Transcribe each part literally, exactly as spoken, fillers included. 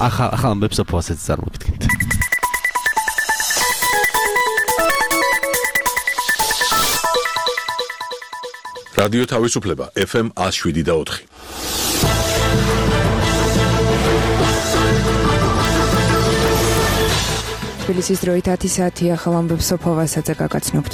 ახალ ამბებს ოფოასაც წარმოვიდგინეთ. რადიო თავისუფლება ეფ ემ one oh seven და four. თბილისის დროით ათი საათი ახალ ამბებს ოფოვასაც გაგაცნობთ.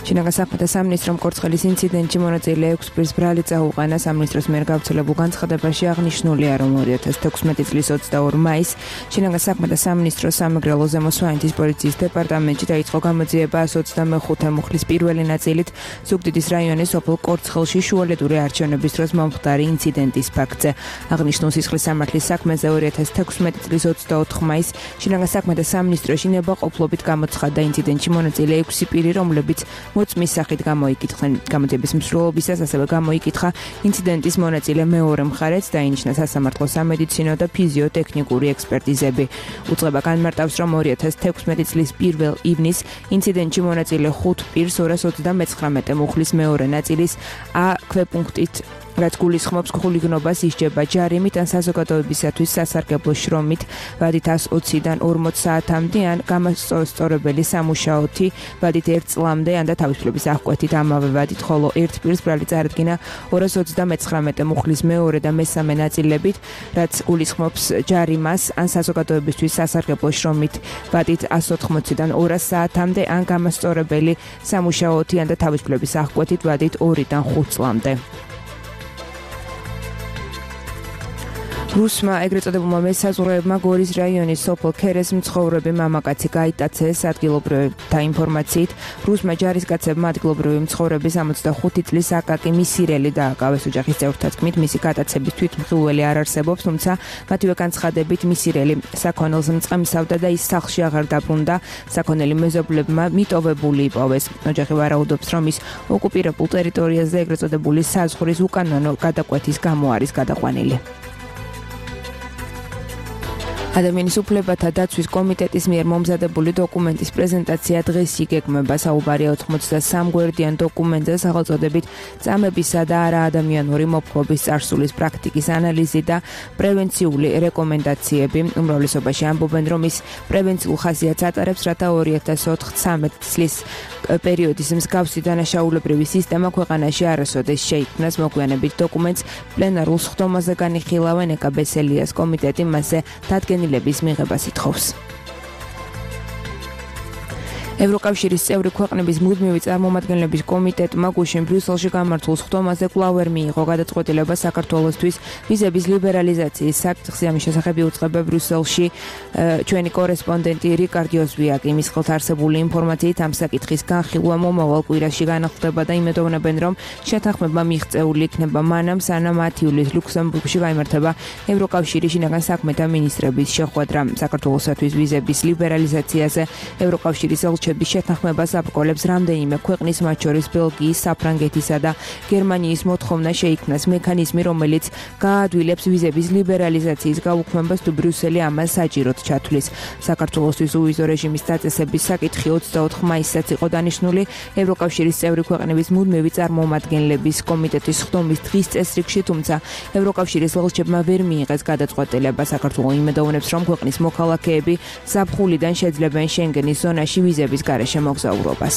შინაგან საქმეთა სამინისტრომ კორცხელის ინციდენტში მონაწილე ექვს პირს ბრალი წაუყენა. სამინისტროს მიერ გავრცელებულ განცხადებაში აღნიშნულია, რომ ორი ათას თექვსმეტი წლის ოცდაორ მაისს შინაგან საქმეთა სამინისტროს სამეგრელო ზემო სვანეთის პოლიციის დეპარტამენტში დაიწყო გამოძიება one twenty-five მუხლის პირველი ნაწილით ზუგდიდის რაიონის სოფელ კორცხელში შუალედური არჩევნების დროს მომხდარი ინციდენტის ფაქტზე. აღნიშნულ სისხლის სამართლის საქმეზე ორი ათას თექვსმეტი წლის ოცდაოთხ მაისს შინაგან საქმეთა სამინისტროში ნებაყოფლობით გამოცხადდა ინციდენტში მონაწილე ექვსი პირი, რომლებიც მოწმის სახით გამოიკითხნენ. გამოძიების მსვლელობისას ასევე გამოიკითხა ინციდენტის მონაწილე მეორე მხარეც, დაინიშნა სასამართლო სამედიცინო და ფიზიოტექნიკური ექსპერტიზები. უწყება განმარტავს, რომ ორი ათას თექვსმეტი წლის პირველ ივნისს ინციდენტში მონაწილე ხუთ პირს ორას ოცდამეცხრამეტე მუხლის მეორე ნაწილის A ქვეპუნქტით რაც გულისხმობს ხულიგნობას ისჯება ჯარიმით ან საზოგადოებისათვის სასარგებლო შრომით ვადით one twenty-დან ორმოც საათამდე ან გამოსწორებელი სამუშაოთი ვადით ერთ წლამდე ან და თავისუფლების აღკვეთით ამავე ვადით, ხოლო ერთ პირს ბრალი წარადგინა ორას ოცდამეცხრამეტე მუხლის მეორე და მესამე ნაწილებით, რაც გულისხმობს ჯარიმას ან საზოგადოებისთვის სასარგებლო შრომით ვადით one otkmotsdან ორას საათამდე ან გამოსწორებელი სამუშაოთი ან და თავისუფლების აღკვეთით ვადით ორიდან ხუთ წლამდე. რუსმა ეგრეთ წოდებულმა მესაზღვრეებმა გორის რაიონის სოფელ ქერეს მცხოვრები მამაკაცი გაიტაცეს. ადგილობრივთა ინფორმაციით, რუსმა ჯარისკაცებმა ადგილობრივი მცხოვრების ოცდახუთი წლის აკაკი მისირელი დააკავეს. ოჯახის წევრთა თქმით, მისი გატაცების თვითმხილველი არ არსებობს, თუმცა მათივე განცხადებით მისირელი საქონელს მწყემსავდა და ის სახლში აღარ დაბრუნდა. საქონელი მეზობლებმა მიტოვებული იპოვეს. ოჯახი ვარაუდობს, რომ ის ოკუპირებულ ტერიტორიაზე ეგრეთ წოდებული საზღვრის უკანონო გადაკვეთის გამო არის გადაყვანილი. ადამიანის უფლებათა დაცვის კომიტეტის მიერ მომზადებული დოკუმენტის პრეზენტაცია დღეს იგეგმება. საუბარია ოცდათრე გვერდიან დოკუმენტზე, სახელწოდებით წამებისა და არაადამიანური მოპყრობის წარსულის პრაქტიკის ანალიზი და პრევენციული რეკომენდაციები. უმრავლესობაში ამბობენ, რომ ის პრევენციულ ხასიათს ატარებს, რათა ორი ათას ოთხ-ცამეტ წლის პერიოდის მსგავსი დანაშაულებრივი სისტემა ქვეყანაში არასოდეს შეიქმნას. მოგვიანებით დოკუმენტს პლენარულ სხდომაზე განიხილავენ. ეკა ბესელიას კომიტეტი მასზე დადგენილების მიღებას ითხოვს. ევროკავშირის წევრი ქვეყნების მუდმივი წარმომადგენლების კომიტეტმა გუშინ ბრიუსელში გამართულ სხდომაზე კვლავ ვერ მიიღო გადაწყვეტილება საქართველოსთვის ვიზების ლიბერალიზაციის საკითხზე. ამის შესახებ იუწყება ბრიუსელში ჩვენი კორესპონდენტი რიკარდ იოზვიაკი. მის ხელთ არსებული ინფორმაციით ამ საკითხის განხილვა მომავალ კვირაში განხდება და იმედოვნებენ, რომ შეთანხმება მიღწეული იქნება მანამ, სანამ ათი ივლისს ლუქსემბურგში გაიმართება ევროკავშირის შინაგან საქმეთა მინისტრების შეხვედრა. საქართველოსთვის ვიზების ლიბერალიზაციაზე ევროკავშირის ელჩები შეთანხმებას აბრკოლებს რამდენიმე ქვეყნის, მათ შორის ბელგიის, საფრანგეთისა და გერმანიის მოთხოვნა შეიქმნას მექანიზმი, რომელიც გაადვილებს ვიზების ლიბერალიზაციის გაუქმებას თუ ბრიუსელი ამას საჭიროდ ჩათვლის. საქართველოსთვის უვიზო რეჟიმის დაწესების საკითხი ოცდაოთხ მაისსაც იყო დანიშნული ევროკავშირის წევრი ქვეყნების მუდმივი წარმომადგენლების კომიტეტის სხდომის დღის წესრიგში, თუმცა ევროკავშირის ელჩებმა ვერ მიიღეს გადაწყვეტილება. საქართველო იმედოვნებს, რომ ქვეყნის მოქალაქეები ზაფხულიდან შეძლებენ შენგენის ზონაში ვიზების გარეშე მოგზაურობას.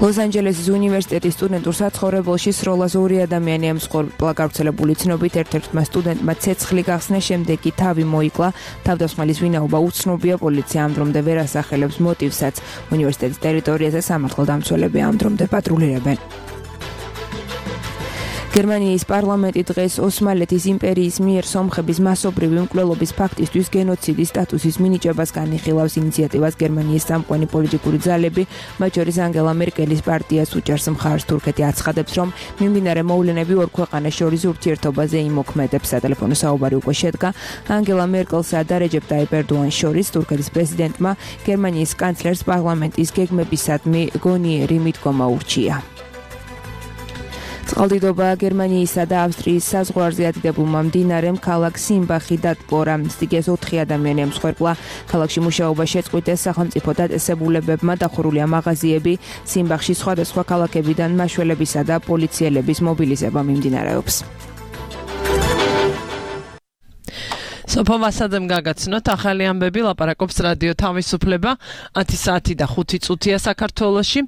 ლოს-ანჯელესის უნივერსიტეტის სტუდენტურ საცხოვრებელში სროლას ორი ადამიანი ემსხვერპლა. გავრცელებული ცნობით ერთ-ერთმა სტუდენტმა ცეცხლი გახსნა, შემდეგ კი თავი მოიკლა. თავდამსხმელის ვინაობა უცნობია, პოლიცია ამ დრომდე ვერ ასახელებს მოტივსაც. უნივერსიტეტის ტერიტორიაზე სამართალდამცველები ამ დრომდე პატრულირებენ. გერმანიის პარლამენტი დღეს ოსმალეთის იმპერიის მიერ სომხების მასობრივი მკვლელობის ფაქტისთვის გენოციდის სტატუსის მინიჭებას განიხილავს. ინიციატივას გერმანიის სამყვენი პოლიტიკური ძალები, მათ შორის ანგელა მერკელის პარტიას უჭერს მხარს. თურქეთი აცხადებს, რომ მიმდინარე მოვლენები ორ ქვეყანას შორის ურთიერთობაზე იმოქმედებს. სატელეფონო საუბარი უკვე შედგა ანგელა მერკელსა და რეჯეპ ტაიპ ერდოანის შორის. თურქეთის პრეზიდენტმა გერმანიის კანცლერს პარლამენტის გეგმებისადმი გონიერი მიდგომა ურჩია. წყალდიდობა გერმანიისა და ავსტრიის საზღვარზე ადიდებულმა მდინარემ ქალაქ სიმბახი დატბორა. სიგეს ოთხი ადამიანი ემსხვერპლა. ქალაქში მუშაობა შეწყვიტეს. სახელმწიფო დაწესებულებებმა დახურულია მაღაზიები. სიმბახში სხვადასხვა ქალაქებიდან მაშველებისა და პოლიციელების მობილიზება მიმდინარეობს. სოფო ვასაძემ გაგაცნოთ ახალი ამბები ლაპარაკობს რადიო თავისუფლება ათი საათი და ხუთი წუთია საქართველოში.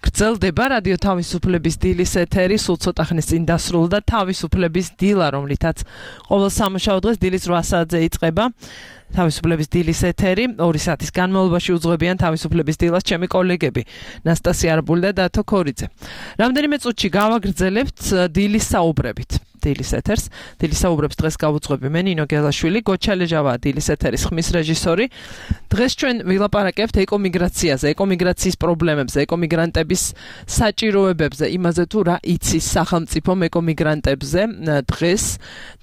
გრძელდება რადიო თავისუფლების დილის ეთერი, სულ ცოტა ხნის წინ დასრულდა თავისუფლების დილა, რომლითაც ყოველ სამუშაო დღეს დილის რვა საათზე იწყება. თავისუფლების დილის ეთერი ორი საათის განმავლობაში უძღვებიან თავისუფლების დილას ჩემი კოლეგები ნასტასია არბული და დათო ქორიძე. რამდენიმე წუთში გავაგრძელებთ დილის საუბრებით. დილის ეთერს. დილის საუბრებს დღეს გავუძღვები მე ნინო გელაშვილი, გოჩალეჟავა დილის ეთერის ხმის რეჟისორი. დღეს ჩვენ ვილაპარაკებთ ეკომიგრაციაზე, ეკომიგრაციის პრობლემებზე, ეკომიგრანტების საჭიროებებზე, იმაზე თუ რა იცის სახელმწიფო ეკომიგრანტებზე დღეს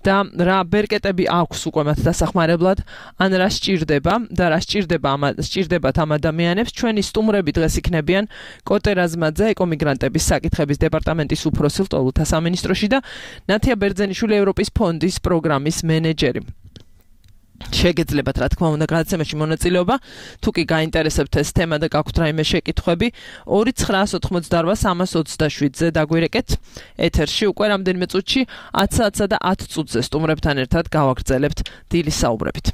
და რა ბერკეტები აქვს უკვე მათ დასახმარებლად, ან რა სჭირდება და რა სჭირდება ამ სჭირდებათ ამ ადამიანებს. ჩვენი სტუმრები დღეს იქნებიან კოტე რაზმაძე, ეკომიგრანტების საკითხების დეპარტამენტის უფროსი ლტოლვილთა სამინისტროში და ნათია ბერძენიშვილი, ევროპის ფონდის პროგრამის მენეჯერი. შეგეძლებათ რა თქმა უნდა გადაცემაში მონაწილეობა, თუ კი გაინტერესებთ ეს თემა და გაქვთ რაიმე შეკითხვები, ორი ცხრაას ოთხმოცდარვა სამას ოცდაშვიდზე დაგვირეკეთ ეთერში უკვე რამდენიმე წუთში ათ საათსა და ათ წუთზე სტუმრებთან ერთად გავაგრძელებთ დილის საუბრებით.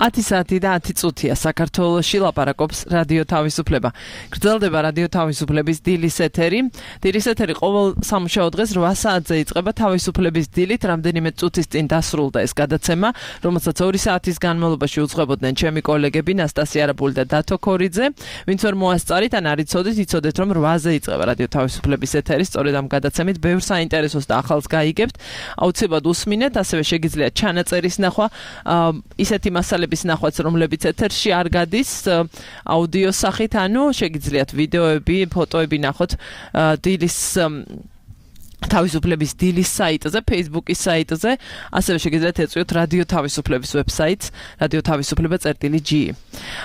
ათი საათი და ათი წუთია საქართველოში ლაპარაკობს რადიო თავისუფლება. გრძელდება რადიო თავისუფლების დილის ეთერი. დილის ეთერი ყოველ სამუშაო დღეს რვა საათზე იწყება თავისუფლების დილით. რამდენიმე წუთის წინ დასრულდა ეს გადაცემა, რომელსაც ორი საათის განმავლობაში უძღვებოდნენ ჩემი კოლეგები ნასტასია არაბული და დათო ქორიძე. ვინც ვერ მოასწარით ან არ იცოდით, იცოდეთ რომ რვაზე იწყება რადიო თავისუფლების ეთერი. სწორედ ამ გადაცემით ბევრ საინტერესოს და ახალს გაიგებთ. აუცილებლად უსმინეთ, ასევე შეგიძლიათ ჩანაწერის ნახვა, ისეთი მასალების ნახვაც, რომლებიც ეთერში არ გადის აუდიოს სახით, ანუ შეგიძლიათ ვიდეოები, ფოტოები ნახოთ დილის თავისუფლების დილის საიტზე, Facebook-ის საიტზე, ასევე შეგიძლიათ ეწვიოთ რადიო თავისუფლების ვებსაიტს, რადიო თავისუფლება წერტილი ჯი.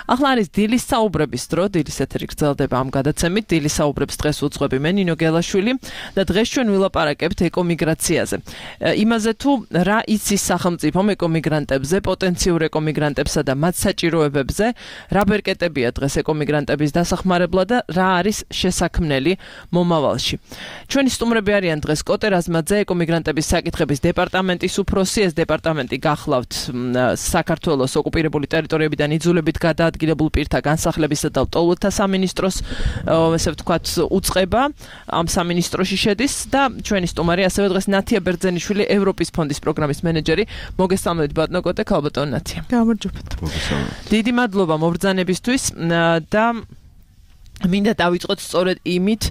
ახლა არის დილის საუბრების დრო, დილის ეთერი გრძელდება ამ გადაცემით. დილის საუბრებს დღეს უძღვები მე ნინო გელაშვილი და დღეს ჩვენ ვილაპარაკებთ ეკომიგრაციაზე. იმაზე თუ რა იცის სახელმწიფო ეკომიგრანტებზე, პოტენციურ ეკომიგრანტებსა და მათ საჭიროებებზე, რა ბერკეტებია დღეს ეკომიგრანტების დასახმარებლად და რა არის შესაქმნელი მომავალში. ჩვენი სტუმრები არიან დღეს კოტე რაზმაძე, ეკომიგრანტების საკითხების დეპარტამენტის უფროსი. ეს დეპარტამენტი გახლავთ საქართველოს ოკუპირებული ტერიტორიებიდან იძულებით გადაადგილებულ პირთა განსახლებისა და ლტოლვილთა სამინისტროს, ესე ვთქვათ, უწყება ამ სამინისტროში შედის და ჩვენი სტუმარი ასევე დღეს ნათია ბერძენიშვილი, ევროპის ფონდის პროგრამის მენეჯერი. მოგესალმებით ბატონო კოტე, ქალბატონ ნათია. გამარჯობათ. მოგესალმებით. დიდი მადლობა მობრძანებისთვის და მინდა დავიწყოთ სწორედ იმით,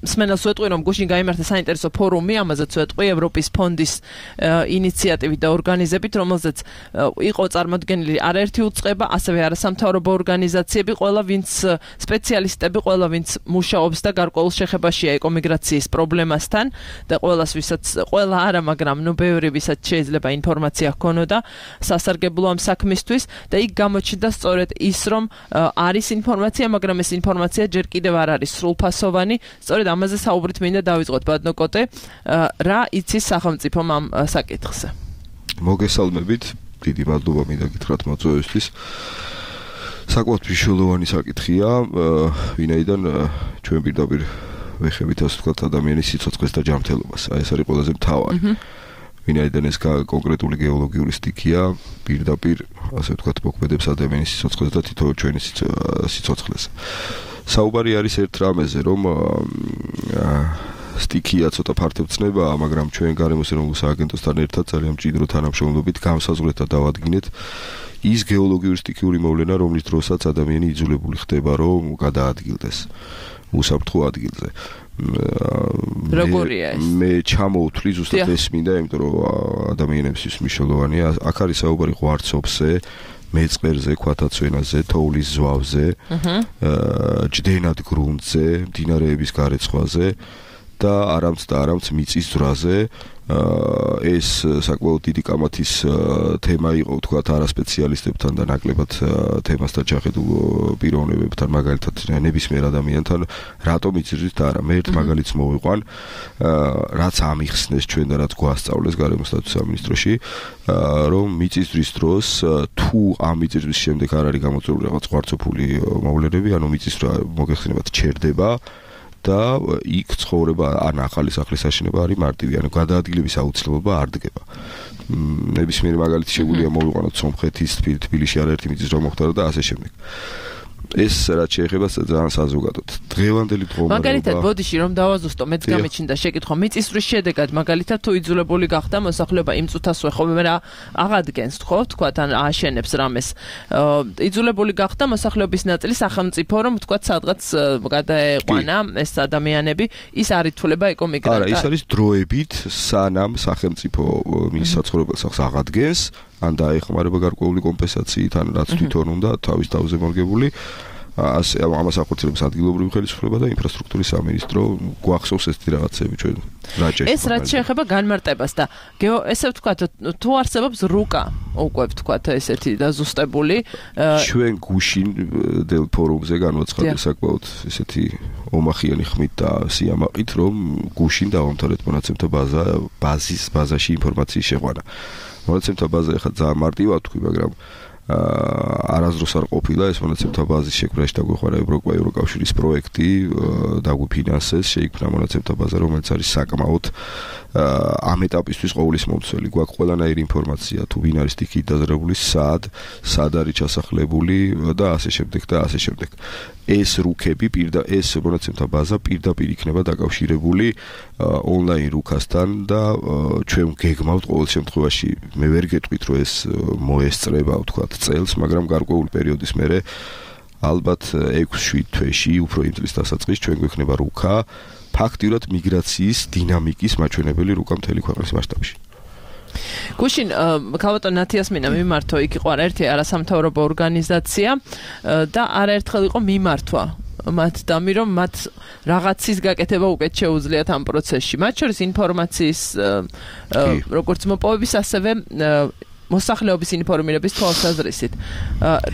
სმენელს ვეტყვი, რომ გუშინ გაიმართა საინტერესო ფორუმი, ამაზეც ვეტყვი, ევროპის ფონდის ინიციატივით და ორგანიზებით, რომელზეც იყო წარმოდგენილი არაერთი უწყება, ასევე არასამთავრობო ორგანიზაციები, ყველა ვინც სპეციალისტები, ყველა ვინც მუშაობს და გარკვეულ შეხებაშია ეკომიგრაციის პრობლემასთან და ყველას ვისაც, ყველა არა, მაგრამ ნუ ბევრი ვისაც შეიძლება ინფორმაცია ჰქონოდა სასარგებლო ამ საქმისთვის და იქ გამოჩნდა სწორედ ის, რომ არის ინფორმაცია, მაგრამ ეს ინფორმაცია ჯერ კიდევ არ არის სრულფასოვანი. სწორედ ამაზე საუბრით მინდა დავიწყოთ ბატონო კოტე, რა იცის სახელმწიფომ ამ საკითხზე? მოგესალმებით, დიდი მადლობა მინდა გითხრათ მოწვევისთვის. საკმაოდ მნიშვნელოვანი საკითხია, ვინაიდან ჩვენ პირდაპირ ვეხებით, ასე ვთქვათ, ადამიანის სიცოცხლეს და ჯანმრთელობას. აი ეს არის ყველაზე მთავარი. ვინაიდან ეს კონკრეტული გეოლოგიური სტიქია, პირდაპირ, ასე ვთქვათ, მოქმედებს ადამიანის სიცოცხლეს და თითოეულ ჩვენი სიცოცხლეს. საუბარი არის ერთ რამეზე, რომ სტიქია ცოტა ფართოვცნებაა, მაგრამ ჩვენ გარემოს ეროვნულ სააგენტოსთან ერთად ძალიან მჭიდრო თანამშრომლობით განსაზღვრეთ და დავადგინეთ ის გეოლოგიური სტიქიური მოვლენა, რომლის დროსაც ადამიანი იძულებული ხდება, რომ გადაადგილდეს უსაფრთხო ადგილზე. როგორია ეს? მე ჩამოვთვლი ზუსტად ეს მინდა, იმიტომ რომ ადამიანებისთვის მნიშვნელოვანია. აქ არის საუბარი ღვარცობზე, მეწყერზე, ქვათაცვენაზე, თოვლის ზვავზე, ჯდენად გრუნტზე, მდინარეების გარეცხვაზე და არამც და არამც მიწის ძვრაზე. ეს საკმაოდ დიდი კამათის თემა იყო, ვთქვათ, არასპეციალისტებთან და ნაკლებად თემასთან ჩახედულ პიროვნებებთან, მაგალითად ნებისმიერ ადამიანთან, რატომ იწირით და არა. მე ერთ მაგალითს მოვიყვან, რაც ამიხსნეს ჩვენ და რაც გვასწავლეს გარემოს სტატუსის სამინისტროში, რომ მიწისძვრის დროს თუ ამ მიწისძვრის შემდეგ არ არის გამოწვეული რაღაც ღვარცოფული მოვლენები, ანუ მიწისძვრა მოგეხსენებათ ჩერდება და იქ ცხოვრება ან ახალი სახლის აშენება არის მარტივი, ანუ გადაადგილების აუცილებლობა არ დგება. ნებისმიერი მაგალითი შეგვიძლია მოვიყვანოთ სომხეთის, თბილისში არაერთი მიწისძვრა მოხდა და ასე შემდეგ. ეს რაც შეეხება ძალიან საზოგადოდ. დღევანდელი დღომა მაგალითად ბოდიში რომ დავაზუსტო, მეც გამიჩნდა შეკითხვა, მიწისძვრის შედეგად მაგალითად თუ იძულებული გახდა მოსახლეობა იმ წუთასვე ხოლმე რა აღადგენს, ხო, თქვათ, ან ააშენებს რამეს. იძულებული გახდა მოსახლეობის ნაწილი სახელმწიფო, რომ თქვათ, სადღაც გადაეყვანა ეს ადამიანები, ის არ ითვლება ეკომიგრანტად. არა, ის არის დროებით, სანამ სახელმწიფო მის საცხოვრებელ სახლს აღადგენს, ან დაეხმარება გარკვეული კომპენსაციით, ან რაც თვითონ უნდა თავის თავზე მორგებული. ასე ამას ახორციელებს ადგილობრივი ხელისუფლება და ინფრასტრუქტურის სამინისტრო. გვახსოვს ეს რაღაცები ჩვენ რაჭაში. ეს რაც შეეხება განმარტებას და ესე ვთქვათ, თუ არსებობს რუკა, უკვე ვთქვათ, ესეთი დაზუსტებული. ჩვენ გუშინ დელ ფორუმზე განვაცხადეთ საკმაოდ ესეთი ომახიანი ხმით და სიამაყით, რომ გუშინ დავამთავრეთ მონაცემთა ბაზა, ბაზის ბაზაში ინფორმაციის შეყვანა. მონაცემთა ბაზა ახლა ძალიან მარტივად თქვი, მაგრამ არასდროს არ ყოფილა ეს მონაცემთა ბაზის შექმნაში დაგვეხმარა ევროკავშირის პროექტი, დაგვიფინანსეს, შეიქმნა მონაცემთა ბაზა, რომელიც არის საკმაოდ ამ ეტაპისთვის ყოვლის მომცველი. გვაქვს ყველანაირი ინფორმაცია, თუ ვინ არის სტიქით დაზრებული, სად, სად არის ჩასახლებული და ასე შემდეგ და ასე შემდეგ. ეს რუქები პირდა ეს მონაცემთა ბაზა პირდაპირ იქნება დაკავშირებული ონლაინ რუქასთან და ჩვენ გეგმავთ ყოველ შემთხვევაში მე ვერ გეტყვით რომ ეს მოესწრება ვთქვათ წელს, მაგრამ გარკვეული პერიოდის მერე ალბათ ექვს შვიდ თვეში უფრო იმ წლის დასაწყისში ჩვენ გვექნება რუქა ფაქტიურად მიგრაციის დინამიკის მაჩვენებელი რუკა მთელი ქვეყნის მასშტაბში. გუშინ ქალბატონ ნათიასმინა მიმართო, იქ იყო არაერთი არასამთავრობო ორგანიზაცია და არაერთხელ იყო მიმართვა მათ დამი რომ მათ რაღაცის გაკეთება უკეთ შეუძლიათ ამ პროცესში. მათ შორის ინფორმაციის როგორც მოპოვების, ასევე მოსახლეობის ინფორმირების თვალსაზრისით.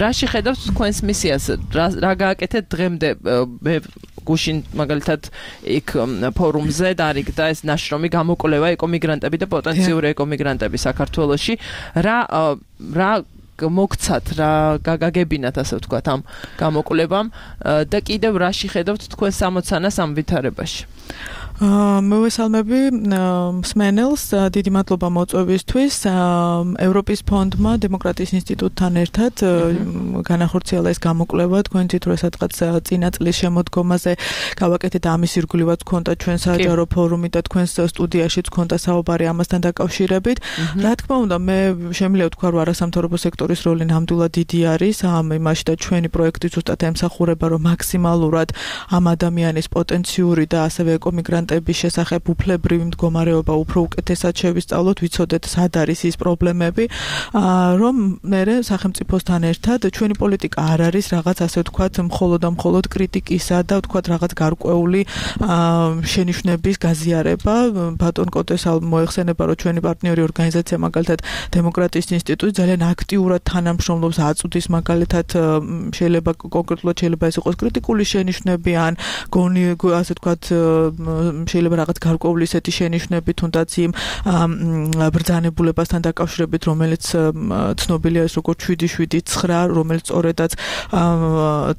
რა შეხედავთ თქვენს მისიას? რა გააკეთეთ დღემდე? მე გუშინ მაგალითად იქ ფორუმზე დარიგდა ეს ნაშრომი გამოკვლევა ეკომიგრანტები და პოტენციური ეკომიგრანტები საქართველოში. რა რა მოგცათ, რა გაგაგებინათ ასე ვთქვათ ამ გამოკვლევამ და კიდევ რა შეხედავთ თქვენ სამოცანას ამ ვითარებაში? მოვესალმები მსმენელს, დიდი მადლობა მოწვევისთვის. ევროპის ფონდმა დემოკრატიის ინსტიტუტთან ერთად განახორციელა ეს გამოკვლევა. თქვენ თვით რომ სადღაც წინა წლის შემოდგომაზე გავაკეთეთ ამის ირგვლივაც გქონდა ჩვენ საჯარო ფორუმი და თქვენს სტუდიაშიც გქონდა საუბარი ამასთან დაკავშირებით. რა თქმა უნდა, მე შემიძლია ვთქვა რომ არასამთავრობო სექტორის როლი ნამდვილად დიდი არის ამ იმაში და ჩვენი პროექტი ზუსტად ემსახურება რომ მაქსიმალურად ამ ადამიანის პოტენციური და ასევე ეკომიგრანტ შესახებ უფლებრივი მდგომარეობა უფრო უკეთესად შევისწავლოთ, ვიცოდეთ სად არის ის პრობლემები, რომ მერე სახელმწიფოსთან ერთად ჩვენი პოლიტიკა არ არის რაღაც ასე ვთქვათ მხოლოდ და მხოლოდ კრიტიკისა და ვთქვათ რაღაც გარკვეული შენიშვნების გაზიარება. ბატონ კოტესალ მოეხსენება რომ ჩვენი პარტნიორი ორგანიზაცია მაგალითად დემოკრატიის ინსტიტუტი ძალიან აქტიურად თანამშრომლობს, აწვდის მაგალითად შეიძლება კონკრეტულად შეიძლება ეს იყოს კრიტიკული შენიშვნები ან გონი ასე ვთქვათ შეიძლება რაღაც გარკვეული ისეთი შენიშვნები თუნდაც იმ ბრძანებულებასთან დაკავშირებით, რომელიც ცნობილია ეს როგორც შვიდი შვიდი ცხრა, რომელიც სწორედაც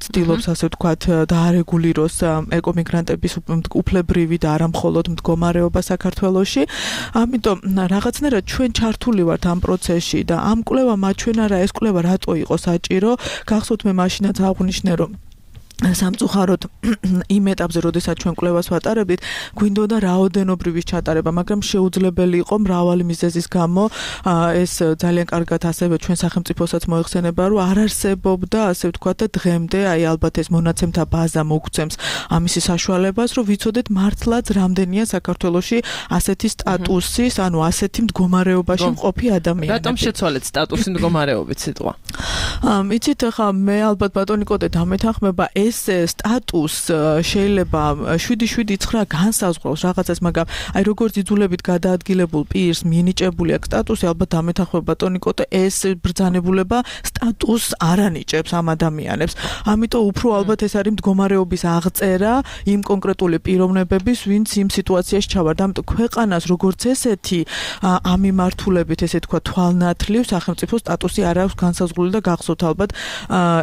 ცდილობს ასე ვთქვათ დაარეგულიროს ეკომიგრანტების უფლებრივი და არა მხოლოდ მდგომარეობა საქართველოში. ამიტომ რაღაცნაირად ჩვენ ჩართული ვართ ამ პროცესში და ამ კვლევა მაჩვენა რა ეს კვლევა რატო იყო საჭირო. გახსოვთ მე მაშინაც აღვნიშნე რომ სამწუხაროდ იმ ეტაპზე, როდესაც ჩვენ კვლევას ვატარებდით, გვინდოდა რაოდენობრივის ჩატარება, მაგრამ შეუძლებელი იყო მრავალი მიზეზის გამო. ეს ძალიან კარგად ასევე ჩვენ სახელმწიფოსაც მოეხსენება, რომ არ არსებობდა, ასე ვთქვათ, და დღემდე აი ალბათ ეს მონაცემთა ბაზა მოგცემს ამისი საშუალებას, რომ ვიცოდეთ მართლაც რამდენია საქართველოში ასეთი სტატუსის, ანუ ასეთი მდგომარეობაში მყოფი ადამიანები. რატომ შეცვალეთ სტატუსი მდგომარეობით სიტყვა? იცით, ხა მე ალბათ ბატონი კოტე დამეთანხმება ეს სტატუს შეიძლება შვიდი შვიდი ცხრა განსაზღვროს რაღაცას, მაგრამ აი როგორც იძულებით გადაადგილებულ პირს მინიჭებული აქვს სტატუსი, ალბათ დამეთანხმება ბატონი კოტე, ეს ბრძანებულება სტატუსს არ ანიჭებს ამ ადამიანებს. ამიტომ უფრო ალბათ ეს არის მდგომარეობის აღწერა იმ კონკრეტული პიროვნებების, ვინც იმ სიტუაციაში ჩავარდა. ამიტომ ქვეყანას როგორც ესეთი ამ მიმართულებით ესე თქვა თვალნათლივ სახელმწიფო სტატუსი არ აქვს განსაზღვრული და გახსოვთ ალბათ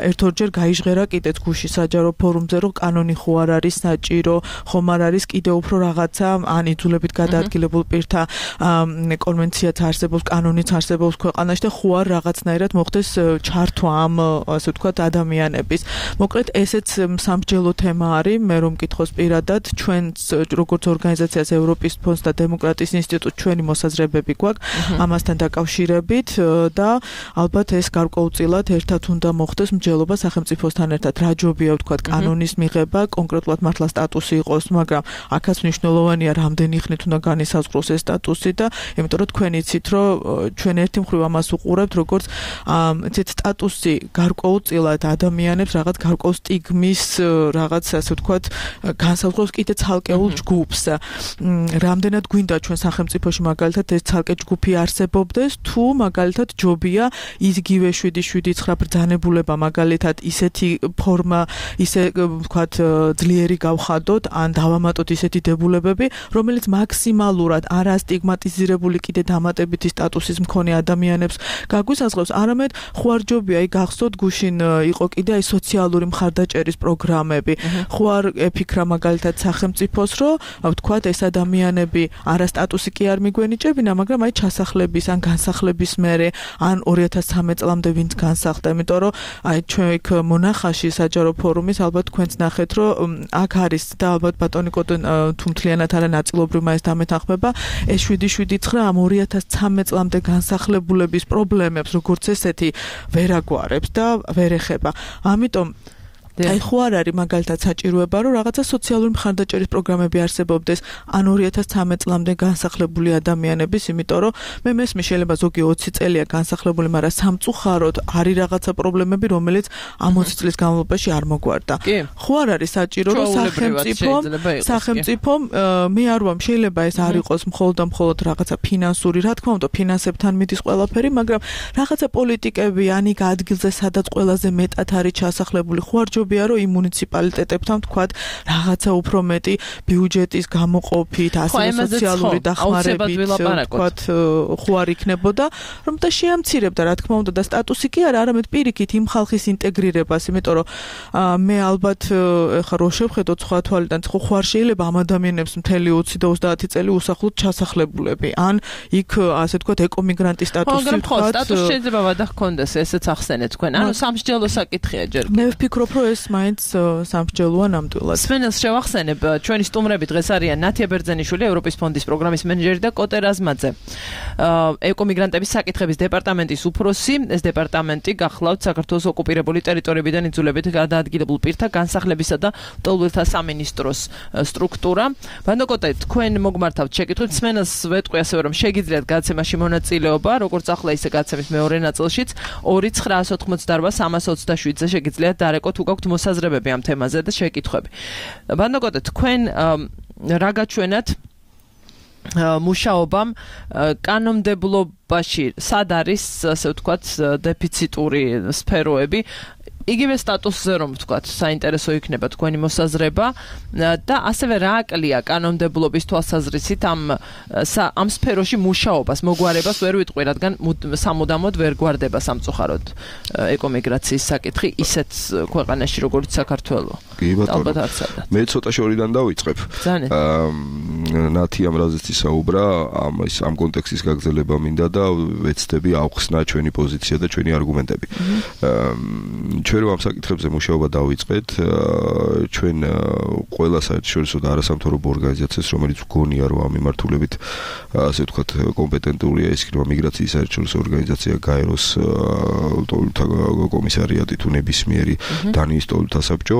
ერთ-ორჯერ გაიჟღერა კიდეც გუშინ საჯარო ფორუმზე რომ კანონი ხო არ არის საჭირო, ხომ არ არის კიდე უფრო რაღაცა ან იძულებით გადაადგილებულ პირთა კონვენციაც არსებობს, კანონიც არსებობს ქვეყანაში და ხო არ რაღაცნაირად მოხდეს ჩართვა ამ ასე ვთქვათ ადამიანების. მოკლედ ესეც სამსჯელო თემა არის, მე რომ მკითხოს პირადად, ჩვენს როგორც ორგანიზაციას ევროპის ფონდს და დემოკრატიის ინსტიტუტს ჩვენი მოსაზრებები გვაქვს ამასთან დაკავშირებით და ალბათ ეს გარკვეულწილად ერთად უნდა მოხდეს მსჯელობა სახელმწიფოსთან ერთად. რა ჯობია ვთქვათ კანონის მიღება, კონკრეტულად მართლა სტატუსი იყოს, მაგრამ აქაც მნიშვნელოვანია რამდენი ხნით უნდა განისაზღვროს ეს სტატუსი და იმიტომ რომ თქვენ იცით რომ ჩვენ ერთი მხრივ ამას უყურებთ როგორც იცით სტატუსი გარკვეულწილად ადამიანებს რაღაც გარკვეულ სტიგმის რაღაც ასე ვთქვათ განსაზღვროს კიდე ცალკეულ ჯგუფს. რამდენად გვინდა ჩვენ სახელმწიფოში მაგალითად ეს ცალკე ჯგუფი არსებობდეს, თუ მაგალითად ჯობია იგივე შვიდი შვიდი შვიდი ცხრა ბრძანებულება მაგალითად ისეთი ფორმა, ისე ვთქვათ ძლიერი გავხადოთ ან დავამატოთ ისეთი დებულებები, რომელიც მაქსიმალურად არა სტიგმატიზირებული კიდე დამატებითი სტატუსის მქონე ადამიანებს გაგვისაზღვრავს, არამედ ხوارჯობია იქ გახსოვთ გუშინ იყო კიდე აი სოციალური მხარდაჭერის პროგრამები. ხო არ ეფიქრა მაგალითად სახელმწიფოს, რომ ვთქვათ ეს ადამიანები არა სტატუსი კი არ მიგვენიჭებინა, მაგრამ აი ჩასახლების ან განსახლების მერე ან ორი ათას ცხრამეტ წლამდე ვინც განსახლდა, იმიტომ რომ აი ჩვენ იქ მონახაში საჯარო ფორუმის ალბათ თქვენც ნახეთ, რომ აქ არის და ალბათ ბატონი კოტო თუ მთლიანად არა ნაწილობრივ მაინც დამეთანხმება, ეს შვიდი შვიდი ცხრა ამ ორი ათას ცხრამეტ წლამდე განსახლებულების პრობლემებს როგორც ესეთი ვერ აგვარებს და ვერ ეხება. ამიტომ აი ხო არ არის მაგალითად საჭიროება რომ რაღაცა სოციალური მხარდაჭერის პროგრამები არსებობდეს ან ორი ათას ცხრამეტ წლამდე განსახლებული ადამიანების, იმიტომ რომ მე მესმის შეიძლება ზოგი ოცი წელია განსახლებული, მაგრამ სამწუხაროდ არის რაღაცა პრობლემები, რომელიც ამ ოცი წლის განმავლობაში არ მოგვარდა. ხო არ არის საჭირო რომ სახელმწიფომ სახელმწიფომ მე არ ვამ შეიძლება ეს არ იყოს მხოლოდ და მხოლოდ რაღაცა ფინანსური, რა თქმა უნდა ფინანსებთან მიდის ყველაფერი, მაგრამ რაღაცა პოლიტიკები ან იქ ადგილზე სადაც ყველაზე მეტად არის ჩასახლებული ხوارჯობ რომ იმ მუნიციპალიტეტებთან თქვათ რაღაცა უფრო მეტი ბიუჯეტის გამოყოფით, ასევე სოციალური დახმარებით თქვათ ხო არ იქნებოდა, რომ და შეამცირებდა რა თქმა უნდა და სტატუსი კი არა, არამედ პირიქით იმ ხალხის ინტეგრირებას, იმიტომ რომ მე ალბათ ხა რო შევხედოთ სხვა თვალიდან, ხო ხო არ შეიძლება ამ ადამიანებს მთელი ოცი და ოცდაათი წელი უსახლოდ ჩასახლებულები, ან იქ ასე თქვათ ეკომიგრანტის სტატუსი თქვათ. სტატუსი შეიძლება ვადახქონდეს, ესეც ახსენეთ თქვენ. ანუ სამსჯელო საკითხია ჯერ. მე ვფიქრობ, რომ ეს მაინც სამსჯელოა ნამდვილად. სვენელს შევახსენებ, ჩვენი სტუმრები დღეს არიან ნათია ბერძენიშვილი, ევროპის ფონდის პროგრამის მენეჯერი და კოტე რაზმაძე, ეკომიგრანტების საკითხების დეპარტამენტის უფროსი. ეს დეპარტამენტი გახლავთ საქართველოს ოკუპირებული ტერიტორიებიდან იძულებით გადაადგილებულ პირთა განსახლებისა და ლტოლვილთა სამინისტროს სტრუქტურა. ბანდო კოტე, თქვენ მოგმართავთ შეკითხვით, სვენელს ვეტყვი ასევე რომ შეგიძლიათ გადაცემაში მონაწილეობა, როგორც ახლა ისე გადაცემის მეორე ნაწილშიც ორი ცხრა ოცდაოთხ სამას ოცდაშვიდზე შეგიძლიათ დარეკოთ თუ გაქვთ მოსაზრებები ამ თემაზე და შეკითხვები. ბანდო კოტე, თქვენ რა გაჩვენათ მუშაობამ კანონმდებლობაში სად არის ასე ვთქვათ დეფიციტური სფეროები, იგივე სტატუსზე რომ ვთქვათ საინტერესო იქნება თქვენი მოსაზრება და ასევე რა აკლია კანონმდებლობის თვალსაზრისით ამ ამ სფეროში მუშაობას, მოგვარებას ვერ ვიტყვი, რადგან სამუდამოდ ვერ გვარდება სამწუხაროდ ეკომიგრაციის საკითხი ისეთ ქვეყანაში როგორც საქართველო. კი ბატონო, მე ცოტა შორიდან დავიწყებ. ნათი ამ რაზეც ისაუბრა, ამ ის ამ კონტექსტის გაგრძელება მინდა და ვეცდები ავხსნა ჩვენი პოზიცია და ჩვენი არგუმენტები. ჩვენ რომ ამ საკითხებზე მუშაობა დავიწყეთ, ჩვენ ყველა საერთაშორისო და არასამთავრობო ორგანიზაციას, რომელიც გონია რომ ამ მიმართულებით ასე ვთქვათ კომპეტენტურია, ის იქნება მიგრაციის საერთაშორისო ორგანიზაცია, გაეროს ლტოლვილთა კომისარიატი თუ ნებისმიერი დანიის ლტოლვილთა საბჭო,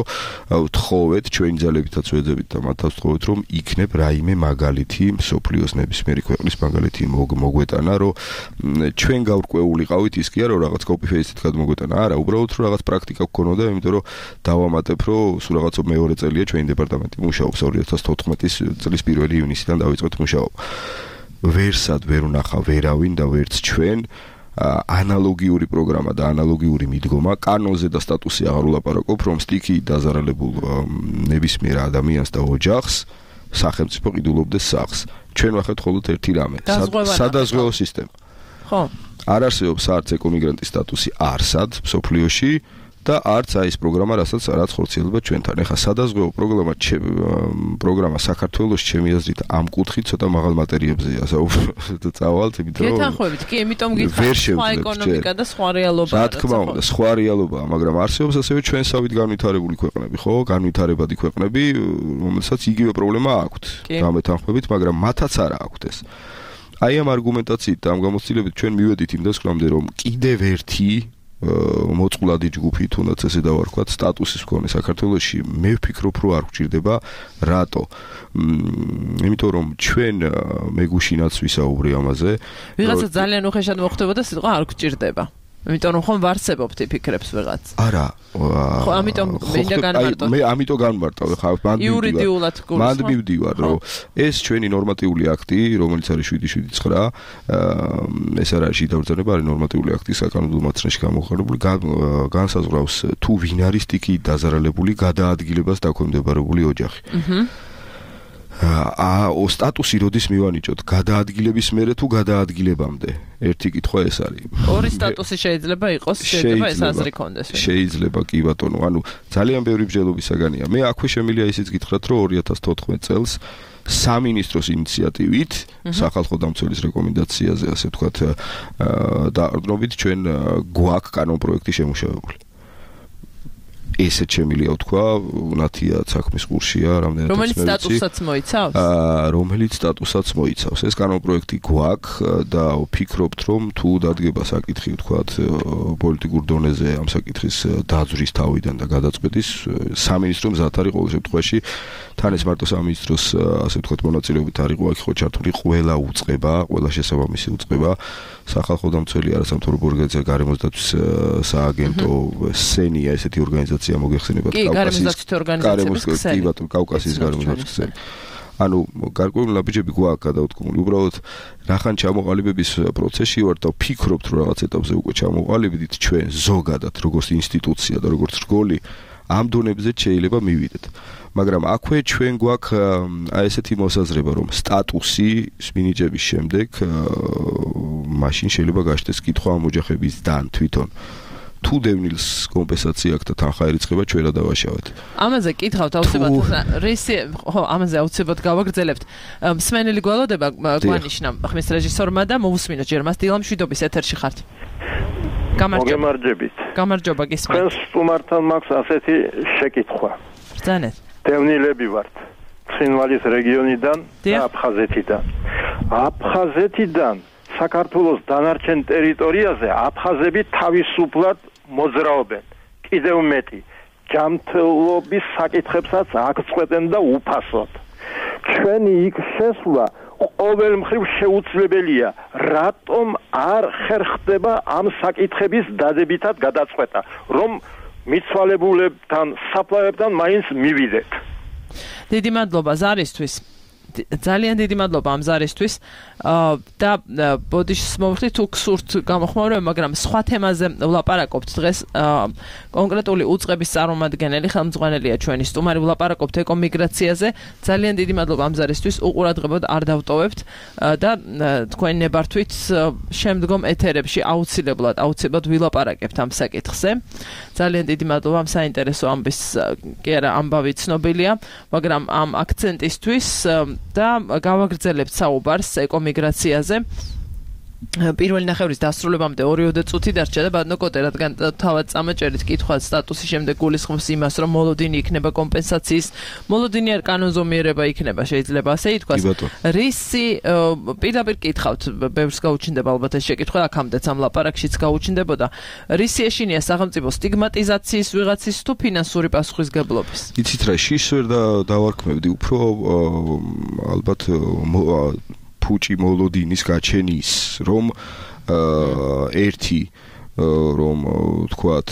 ვთხოვეთ ჩვენი ძალებითაც ვეძებით და მათაც ვთხოვეთ რომ იქნებ რაიმე მაგალითი მსოფლიოს ნებისმიერი ქვეყნის მაგალითი მოგვეტანა, რომ ჩვენ გავrკვეულიყავით ის კი არა რომ რაღაც კოპი-პეისტით გადმოგვეტანა, არა, უბრალოდ რომ რაღაც პრაქტიკა გქონოდა, იმიტომ რომ დავამატებ, რომ სულ რაღაცა მეორე წელია ჩვენი დეპარტამენტი მუშაობს ორი ათას თოთხმეტი წლის პირველი ივნისიდან დავიწყეთ მუშაობა. ვერსად ვერ ვნახა ვერავინ და ვერც ჩვენ ანალოგიური პროგრამა და ანალოგიური მიდგომა კანონზე და სტატუსი აღარ ვლაპარაკობ, რომ სტიქი დაზარალებულ ნებისმიერ ადამიანს და ოჯახს სახელმწიფო ყიდულობდეს სახლს. ჩვენ ვახეთ მხოლოდ ერთი რამე, სადაზღვევო სისტემა. ხო. არ არსებობს არც ეკომიგრანტის სტატუსი არსად მსოფლიოში და არც აი ეს პროგრამა, რასაც რაც ხორციელდება ჩვენთან. ეხლა სადაზღვევო პროგრამა პროგრამა საქართველოს ჩემი აზრით ამ კუთხით ცოტა მაღალ მატერიებზეა წავალთ, იმიტომ რომ გეთანხმებით, კი, იმიტომ გითხრათ სხვა ეკონომიკა და სხვა რეალობა. რა თქმა უნდა, სხვა რეალობაა, მაგრამ არსებობს ასევე ჩვენსავით განვითარებული ქვეყნები, ხო, განვითარებადი ქვეყნები, რომელსაც იგივე პრობლემა აქვთ. გამეთანხმებით, მაგრამ მათაც არა აქვთ ეს. აი ამ არგუმენტაციით და ამ გამოცდილებით ჩვენ მივედით იმ დასკვნამდე, რომ კიდევ ერთი მოწყვლადი ჯგუფი, თუნდაც ესე დავარქვათ, სტატუსის მქონე საქართველოში, მე ვფიქრობ, რომ არ გვჭირდება. რატო? იმიტომ რომ ჩვენ მე გუშინაც ვისაუბრე ამაზე. ვიღაცა ძალიან უხეშად მოხდებოდა სიტყვა არ გვჭირდება. იმიტომ რომ ხომ ვარსებობთ ფიქრებს ვიღაც. არა. ხო, ამიტომ მინდა განმარტო. მე ამიტომ განმარტავ, ხა მანდ იურიდიულად გულს. მანდ მივდივარ, რომ ეს ჩვენი ნორმატიული აქტი, რომელიც არის შვიდი შვიდი ცხრა, ეს არ არის შიდაბრძანება, არის ნორმატიული აქტი საკანონმდებლო მართლობაში გამოყენებული, განსაზღვრავს თუ ვინ არის სტიქიით დაზარალებული გადაადგილებას დაქვემდებარებული ოჯახი. აჰა. აა სტატუსი როდის მივანიჭოთ გადაადგილების მერე თუ გადაადგილებამდე ერთი კითხვა ეს არის ორი სტატუსი შეიძლება იყოს შეიძლება ეს აზრი კონდეს შეიძლება კი ბატონო ანუ ძალიან ბევრი ბრძოლების საგანია მე აქვე შემიძლია ისიც გითხრათ რომ ორი ათას თოთხმეტ წელს სამინისტროს ინიციატივით სახალხო დამცველის რეკომენდაციაზე ასე ვთქვათ დაარდნობით ჩვენ გვაქვს კანონპროექტი შემუშავებული ესეც შემიძლია ვთქვა, ნათია საქმის კურსია, რამდენად რომელიც სტატუსაც მოიცავს? აა, რომელიც სტატუსაც მოიცავს. ეს კანონპროექტი გვაქვს და ვფიქრობთ, რომ თუ დადგება საკითხი, ვთქვათ, პოლიტიკურ დონეზე ამ საკითხის დაძვრის თავიდან და გადაწყვეტის, სამინისტრო მზად არის ყოველ შემთხვევაში, თან ეს მარტო სამინისტროს, ასე ვთქვათ, მონაწილეობით არ იყო, აქ ხო ჩართული ყველა უწყება, ყველა შესაბამისი უწყება, სახალხო დამცველი არასამთავრობო ორგანიზაცია, გარემოსდაცვის სააგენტო, სენია, ესეთი ორგანიზაცია მოგეხსენებათ კავკასიის გარემოსდაცვის კი ბატონო კავკასიის გარემოსდაცვის ქსელი. ანუ გარკვეული ნაბიჯები გვაქვს გადავთქმული. უბრალოდ რახან ჩამოყალიბების პროცესში ვართ და ვფიქრობთ რომ რაღაც ეტაპზე უკვე ჩამოყალიბდით ჩვენ ზოგადად როგორც ინსტიტუცია და როგორც რგოლი ამ დონებზე შეიძლება მივიდეთ. მაგრამ აქვე ჩვენ გვაქვს აი ესეთი მოსაზრება რომ სტატუსი მინიჭების შემდეგ მაშინ შეიძლება გაჩნდეს კითხვა ამ ოჯახებისგან თვითონ თუ დევნილს კომპენსაცია აქვს და თანხა ერიცხება ჩვენ რა დავაშავეთ. ამაზე კითხავთ აუცილებლად რისი ხო ამაზე აუცილებლად გავაგრძელებთ. მსმენელი გველოდება გვანიშნა ხმის რეჟისორმა და მოусმინოთ ჯერ მას დილა მშვიდობის ეთერში ხართ. გამარჯობებით. გამარჯობა გისმენთ. ჩვენ სტუმართან მაქვს ასეთი შეკითხვა. ბრძანეთ. დევნილები ვართ. ცხინვალის რეგიონიდან და აფხაზეთიდან. აფხაზეთიდან საქართველოს დანარჩენ ტერიტორიაზე აფხაზები თავისუფლად მოძრაობენ. კიდევ მეტი, ჯანმრთელობის საკითხებსაც აღწყვეტენ და უფასოდ. ჩვენი იქ შესვლა ყოველ მხრივ შეუძლებელია. რატომ არ ხერხდება ამ საკითხების დადებითად გადაწყვეტა, რომ მიცვალებულებთან, საფლავებთან მაინც მივიდეთ. დიდი მადლობა ზარისთვის. ძალიან დიდი მადლობა ამ ზარისთვის და ბოდიშს მოვხდით თუ გსურთ გამოხმაურება, მაგრამ სხვა თემაზე ვლაპარაკობთ დღეს. კონკრეტული უწყების წარმომადგენელი ხელმძღვანელია ჩვენი სტუმარი, ვლაპარაკობთ ეკომიგრაციაზე. ძალიან დიდი მადლობა ამ ზარისთვის, უყურადღებოდ არ დავტოვებთ და თქვენი ნებართვით შემდგომ ეთერებში აუცილებლად აუცილებლად ვილაპარაკებთ ამ საკითხზე. ძალიან დიდი მადლობა ამ საინტერესო ამბის კი არა ამბავი ცნობილია, მაგრამ ამ აქცენტისთვის და გავაგრძელებთ საუბარს ეკომიგრაციაზე. პირველი ნახევრის დასრულებამდე ორი წუთი დარჩა და ბატონო კოტე, რადგან თავად წამაჭერით კითხვა სტატუსის შემდეგ გულისხმობს იმას, რომ მოლოდინი იქნება კომპენსაციის, მოლოდინი არ კანონზომიერება იქნება, შეიძლება ასე ითქვას. რისი პირდაპირ კითხავთ, ბევრს გაუჩნდება ალბათ ეს შეკითხვა, აქამდეც ამ ლაპარაკშიც გაუჩნდებოდა. რისი ეშინია სახელმწიფო სტიგმატიზაციის ვიღაცის თუ ფინანსური პასუხისგებლობის? იცით რა, შიშს ვერ დავარქმევდი, უფრო ალბათ ფუჭი მოლოდინის გაჩენის რომ ერთი რომ თქვათ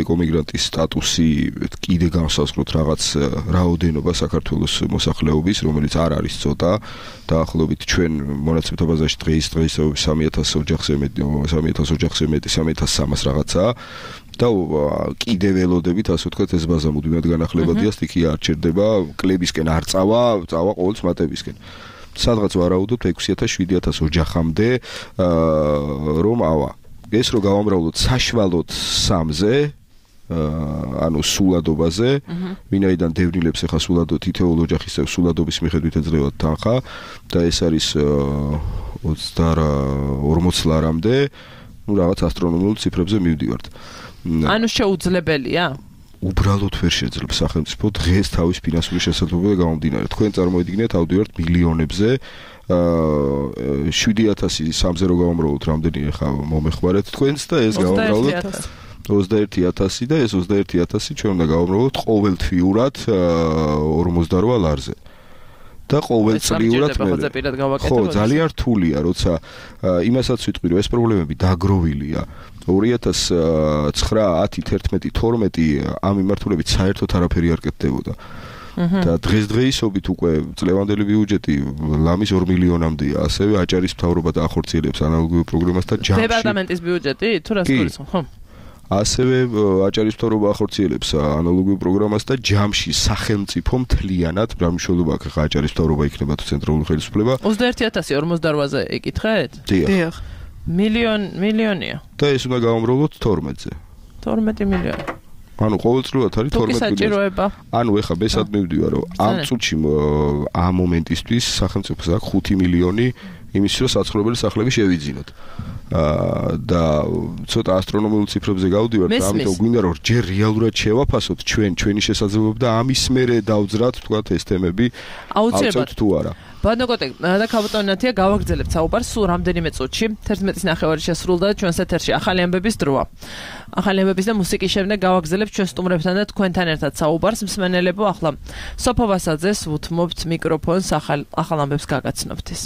ეკომიგრანტის სტატუსი კიდე განსაზღვროთ რაღაც რაოდენობა საქართველოს მოსახლეობის, რომელიც არ არის ცოტა, დაახლოებით ჩვენ მონაცემთა ბაზაში დღეს დღეისათვის სამი ათას ოჯახზე მეტი, სამი ათას ოჯახზე მეტი, სამი ათას სამას რაღაცა და კიდე ველოდებით, ასე ვთქვათ, ეს ბაზა მუდმივად განახლებადია, სტიქია არ ჩერდება, კლებისკენ არ წავა, წავა ყოველთვის მატებისკენ. სადღაც ვარაუდობთ ექვსი ათას შვიდი ათას ოჯახამდე რომ ავა. ეს რო გავამრავლოთ საშუალოდ სამზე, ანუ სულადობაზე, ვინაიდან დევნილებს ახლა სულადო თითოეულ ოჯახის სულადობის მიხედვით ეძლევათ თანხა და ეს არის ორმოც ლარამდე, ну რაღაც ასტრონომიულ ციფრებზე მივდივართ. ანუ შეუძლებელია? უბრალოდ ვერ შეძლებს სახელმწიფო დღეს თავის ფინანსური შესაძლებლობები გამომდინარე. თქვენ წარმოიდგინეთ ავდივართ მილიონებზე, შვიდი ათასი სამზე რო გავამრავლოთ, რამდენი ახლა მომეხმარეთ თქვენს და ეს გავამრავლოთ ოცდაერთი ათასი და ეს ოცდაერთი ათასი ჩვენ უნდა გავამრავლოთ ყოველთვიურად ორმოცდარვა ლარზე. და ყოველწლიურად მე ხო ძალიან რთულია როცა იმასაც ვიტყვი რომ ეს პრობლემები დაგროვილია ორი ათას ცხრა, ათი, თერთმეტი, თორმეტი ამ მიმართულებით საერთოდ არაფერი არ კეთდებოდა. და დღესდღეობით უკვე წლევანდელი ბიუჯეტი ლამის ორ მილიონამდეა, ასევე აჭარის მთავრობა დაახორციელებს ანალოგიურ პროგრამას და ჯამში დეპარტამენტის ბიუჯეტი თუ რას გულისხმობ, ხო? ასევე აჭარის მთავრობა ახორციელებს ანალოგიურ პროგრამას და ჯამში სახელმწიფო მთლიანად რამშოლობა ხა აჭარის მთავრობა იქნება თუ ცენტრალური ხელისუფლება ოცდაერთი ათასი ორმოცდაოთხზე ეკითხეთ? დიახ. მილიონ მილიონია. და ეს უნდა გავამრავლოთ თორმეტზე. თორმეტი მილიონი. ანუ ყოველწლიურად არის თორმეტი მილიონი. ანუ ეხა ბესად მივდივარ რომ ამ წუთში ამ მომენტისთვის სახელმწიფოს აქვს ხუთი მილიონი იმისთვის რომ საცხოვრებელი სახლები შევიძინოთ. აა და ცოტა ასტრონომიულ ციფრებზე გავდივართ, ამიტომ გვინდა რომ ჯერ რეალურად შევაფასოთ ჩვენ ჩვენი შესაძლებლობა და ამის მერე დავძრათ თქვათ ეს თემები აუცილებლად თუ არა. ბანოკოტე და ქაბოტონათია გავაგრძელებთ საუბარს სულ რამდენიმე წუთში. თერთმეტის ნახევარი შესრულდა ჩვენს ეთერში ახალი ამბების დროა. ახალი ამბების და მუსიკის შემდეგ გავაგრძელებთ ჩვენ სტუმრებთან და თქვენთან ერთად საუბარს. მსმენელებო, ახლა სოფო ვასაძეს უთმობთ მიკროფონს ახალ ახალ ამბებს გაგაცნობთ ის.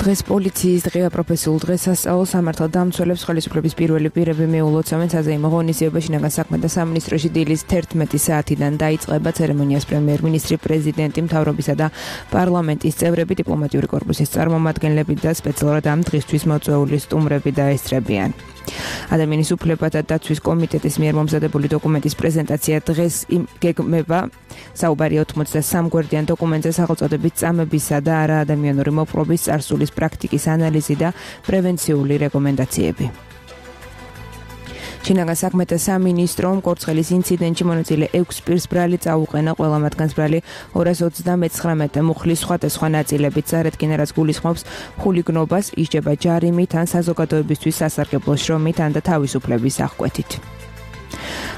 დღეს პოლიციის დღეა პროფესიულ დღესასწაულს სამართალ დამცველებს ხელისუფლების პირველი პირები მიულოცავენ საზეიმო ღონისძიებაში. შინაგან საქმეთა სამინისტროში დილის თერთმეტი საათიდან დაიწყება ცერემონიას პრემიერ-მინისტრი, პრეზიდენტი, მთავრობისა და პარლამენტის წევრები, დიპლომატიური კორპუსის წარმომადგენლები და სპეციალურად ამ დღისთვის მოწვეული სტუმრები დაესწრებიან. ადამიანის უფლებათა დაცვის კომიტეტის მიერ მომზადებული დოკუმენტის პრეზენტაცია დღეს გეგმება. საუბარი ოთხმოცდასამ გვერდიან დოკუმენტზე სახელწოდებით წამებისა და არაადამიანური მოპყრობის წარსულის პრაქტიკის ანალიზი და პრევენციული რეკომენდაციები. შინაგან საქმეთა სამინისტრომ კორცხელის ინციდენტში მონაწილე ექვს პირს ბრალი წაუყენა, ყველა მათგანს ბრალი ორას ოცდამეცხრამეტი მუხლის სხვადასხვა ნაწილებით წარადგინა, რაც გულისხმობს ხულიგნობას, ისჯება ჯარიმით ან საზოგადოებისთვის სასარგებლო შრომით ან და თავისუფლების აღკვეთით.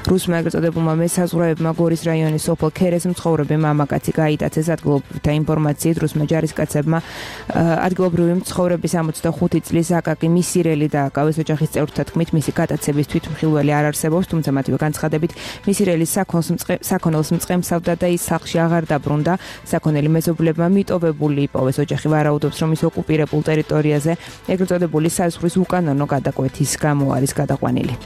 რუსმა ეგრეთ წოდებულმა მესაზღვრეებმა გორის რაიონის სოფელ ქერეს მცხოვრები მამაკაცი გაიტაცეს ადგილობრივთა ინფორმაციით. რუსმა ჯარისკაცებმა ადგილობრივი მცხოვრების ორმოცდახუთი წლის აკაკი მისირელი დააკავეს. ოჯახის წევრთა თქმით, მისი გატაცების თვითმხილველი არ არსებობს, თუმცა მათივე განცხადებით მისირელის საქონელს მწყემსავდა და ის სახლში აღარ დაბრუნდა. საქონელი მეზობლებმა მიტოვებული იპოვეს. ოჯახი ვარაუდობს, რომ ის ოკუპირებულ ტერიტორიაზე ეგრეთ წოდებული საზღვრის უკანონო გადაკვეთის გამო არის გადაყვანილი.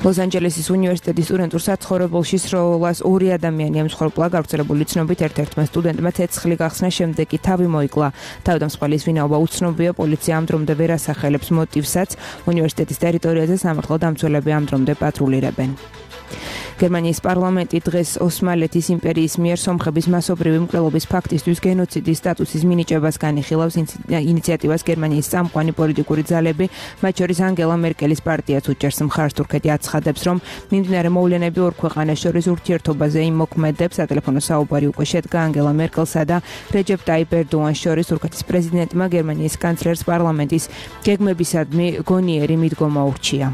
ლოს-ანჯელესის უნივერსიტეტის სტუდენტურ საცხოვრებელში სროლას ორი ადამიანი ემსხვერპლა. გავრცელებული ცნობით ერთ-ერთმა სტუდენტმა ცეცხლი გახსნა, შემდეგ კი თავი მოიკლა. თავდამსხმელის ვინაობა უცნობია, პოლიცია ამ დრომდე ვერ ასახელებს მოტივსაც. უნივერსიტეტის ტერიტორიაზე სამართალ დამცველები ამ დრომდე პატრულირებენ. გერმანიის პარლამენტი დღეს ოსმალეთის იმპერიის მიერ სომხების მასობრივი მკვლელობის ფაქტისთვის გენოციდის სტატუსის მინიჭებას განიხილავს. ინიციატივას გერმანიის წამყვანი პოლიტიკური ძალები, მათ შორის ანგელა მერკელის პარტიაც უჭერს მხარს. თურქეთი აცხადებს, რომ მიმდინარე მოვლენები ორ ქვეყანას შორის ურთიერთობაზე იმოქმედებს. სატელეფონო საუბარი უკვე შედგა ანგელა მერკელსა და რეჯეპ ტაიპ ერდოანის შორის. თურქეთის პრეზიდენტმა გერმანიის კანცლერს პარლამენტის გეგმებისადმი გონიერი მიდგომა ურჩია.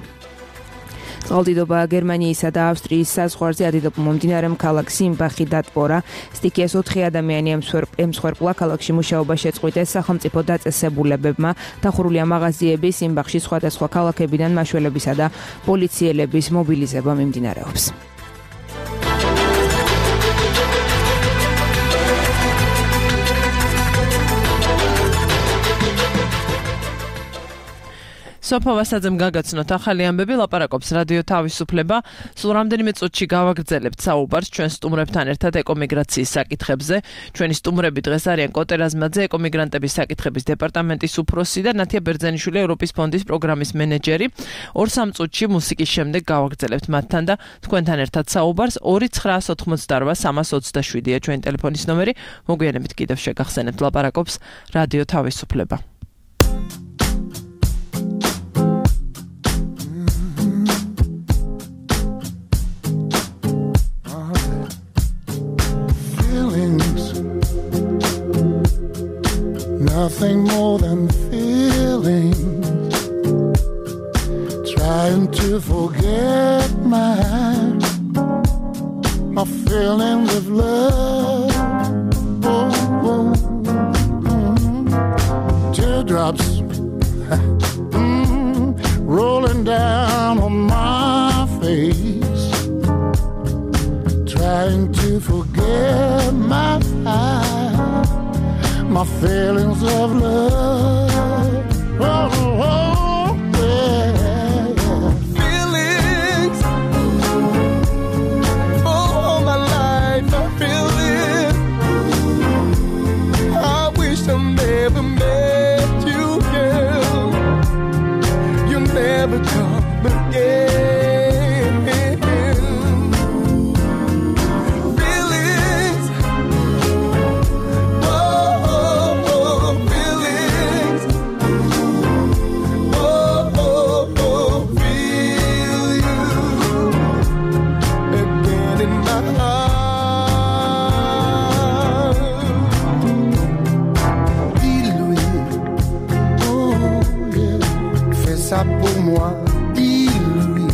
წყალდიდობა გერმანიისა და ავსტრიის საზღვარზე ადიდობა მომდინარე ქალაქ სიმბახი დატბორა. სტიქიას ოთხი ადამიანი ემსხვერპლა. ქალაქში მუშაობა შეწყვიტეს სახელმწიფო დაწესებულებებმა. დახურულია მაღაზიები. სიმბახში სხვადასხვა ქალაქებიდან მაშველებისა და პოლიციელების მობილიზება მიმდინარეობს. სოფო ვასაძემ გაგაცნოთ ახალი ამბები, ლაპარაკობს რადიო თავისუფლება. სულ რამდენიმე წუთში გავაგრძელებთ საუბარს ჩვენ სტუმრებთან ერთად ეკომიგრაციის საკითხებზე. ჩვენი სტუმრები დღეს არიან კოტე რაზმაძე, ეკომიგრანტების საკითხების დეპარტამენტის უფროსი და ნათია ბერძენიშვილი, ევროპის ფონდის პროგრამის მენეჯერი. ორ-სამ წუთში მუსიკის შემდეგ გავაგრძელებთ მათთან და თქვენთან ერთად საუბარს. ორი ცხრაას ოთხმოცდარვა სამას ოცდაშვიდია ჩვენი ტელეფონის ნომერი. მოგვიანებით კიდევ შეგახსენებთ, ლაპარაკობს რადიო თავისუფლება. Nothing more than feelings, trying to forget my, my feelings of love. Oh, oh, mm, teardrops mm, rolling down on my face, trying to forget my my feelings of love. Oh, oh, yeah. Feelings, all my life I feel it. I wish I never met you, girl. You never come again. Pour moi, dis-lui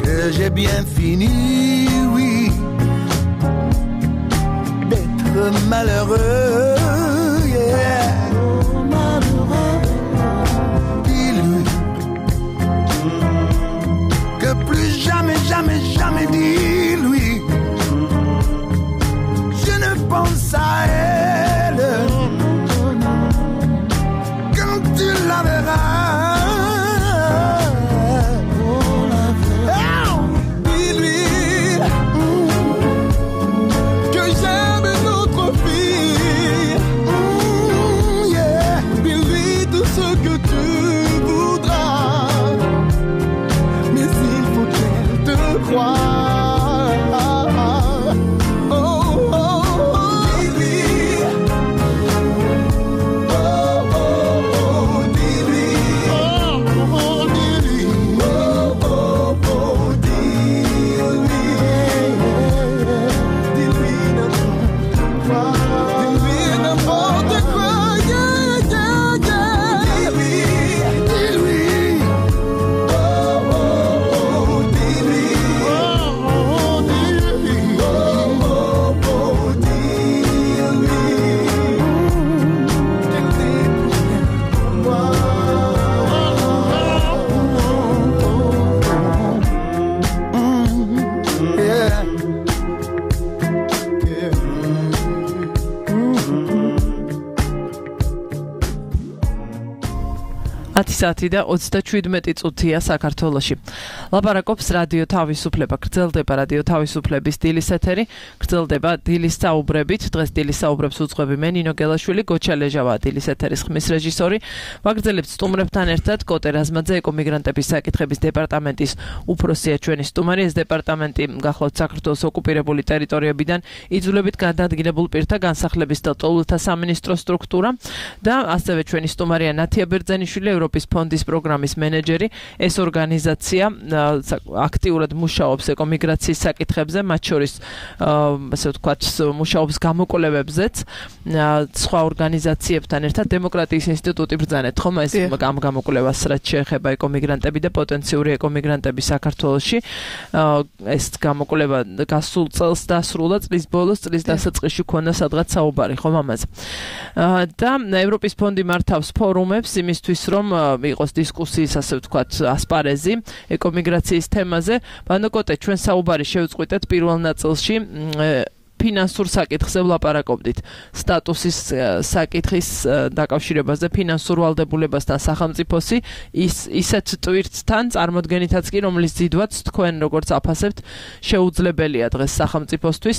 que j'ai bien fini, oui, d'être malheureux, yeah. Oh, malheureux. Dis-lui que plus jamais, jamais, jamais, dis-lui, je ne pense à elle. Tu la verras. Oh, la verras. Dis-lui que j'aime notre fille. Mm, yeah. Dis-lui tout ce que tu voudras. Mais il faut qu'elle te croie. საათი და ოცდაშვიდმეტი წუთია საქართველოში. ლაპარაკობს რადიო თავისუფლება. გრძელდება რადიო თავისუფლების დილის ეთერი, გრძელდება დილის საუბრებით. დღეს დილის საუბრებს უძღვები მე ნინო გელაშვილი, გოჩა ლეჟავა დილის ეთერის ხმის რეჟისორი. ვაგრძელებთ სტუმრებთან ერთად კოტე რაზმაძე, ეკომიგრანტების საკითხების დეპარტამენტის უფროსია ჩვენი სტუმარი. ეს დეპარტამენტი გახლავთ საქართველოს ოკუპირებული ტერიტორიებიდან იძულებით გადაადგილებულ პირთა განსახლების და ტოლთა სამინისტროს სტრუქტურა და ასევე ჩვენი სტუმარია ნათია ბერძენიშვილი, ევროპის ფონდის პროგრამის მენეჯერი. ეს ორგანიზაცია აქტიურად მუშაობს ეკომიგრაციის საკითხებზე, მათ შორის ასე ვთქვათ, მუშაობს გამოკვლევებზეც, სხვა ორგანიზაციებთან ერთად დემოკრატიის ინსტიტუტი ბრძანეთ, ხომ ეს ამ გამოკვლევას რაც შეეხება ეკომიგრანტები და პოტენციური ეკომიგრანტები საქართველოში. ეს გამოკვლევა გასულ წელს დასრულა, წლის ბოლოს, წლის დასაწყისში ქონდა სადღაც საუბარი, ხომ ამაზე. და ევროპის ფონდი მართავს ფორუმებს იმისთვის, რომ იყოს დისკუსიის, ასე ვთქვათ, ასპარეზი ეკომიგრაციის თემაზე. ბანოკოტე, ჩვენ საუბარი შევწყვიტეთ პირველ ნაწილში ფინანსურ საკითხზე ვლაპარაკობდით. სტატუსის საკითხის დაკავშირებაზე, ფინანსურ ვალდებულებასთან სახელმწიფოსი, ის ისეთ ტვირთთან წარმოდგენითაც კი, რომლის ძიდვაც თქვენ როგორც აფასებთ, შეუძლებელია დღეს სახელმწიფოსთვის.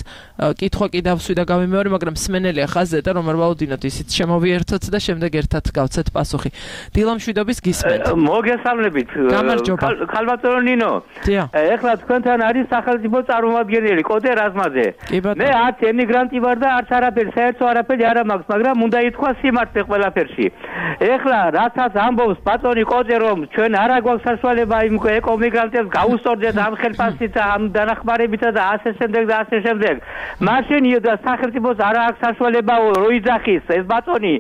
კითხვა კი დავსვი და გავიმეორე, მაგრამ სმენელია ხაზზე და რომ არ ვალოდინოთ, ისიც შემოვიერთოთ და შემდეგ ერთად გავცეთ პასუხი. დილა მშვიდობის გისმენთ. მოგესალმებით. გამარჯობა. ქალბატონო ნინო. ეხლა თქვენთან არის სახელმწიფო წარმომადგენელი კოტე რაზმაძე. მე არც ემიგრანტი ვარ და არც არაფერი, საერთო არაფერი არ მაქვს, მაგრამ უნდა ითქვა სიმართლე ყველაფერში. ეხლა რასაც ამბობს ბატონი კოტე, რომ ჩვენ არ აგვაქვს საშუალება იმ ეკომიგრანტებს გაუსწორდეთ ამ ხელფასით და ამ დანახმარებით და ასე შემდეგ და ასე შემდეგ. მაშინ სახელმწიფოს არ აქვს საშუალება რო იძახის ეს ბატონი.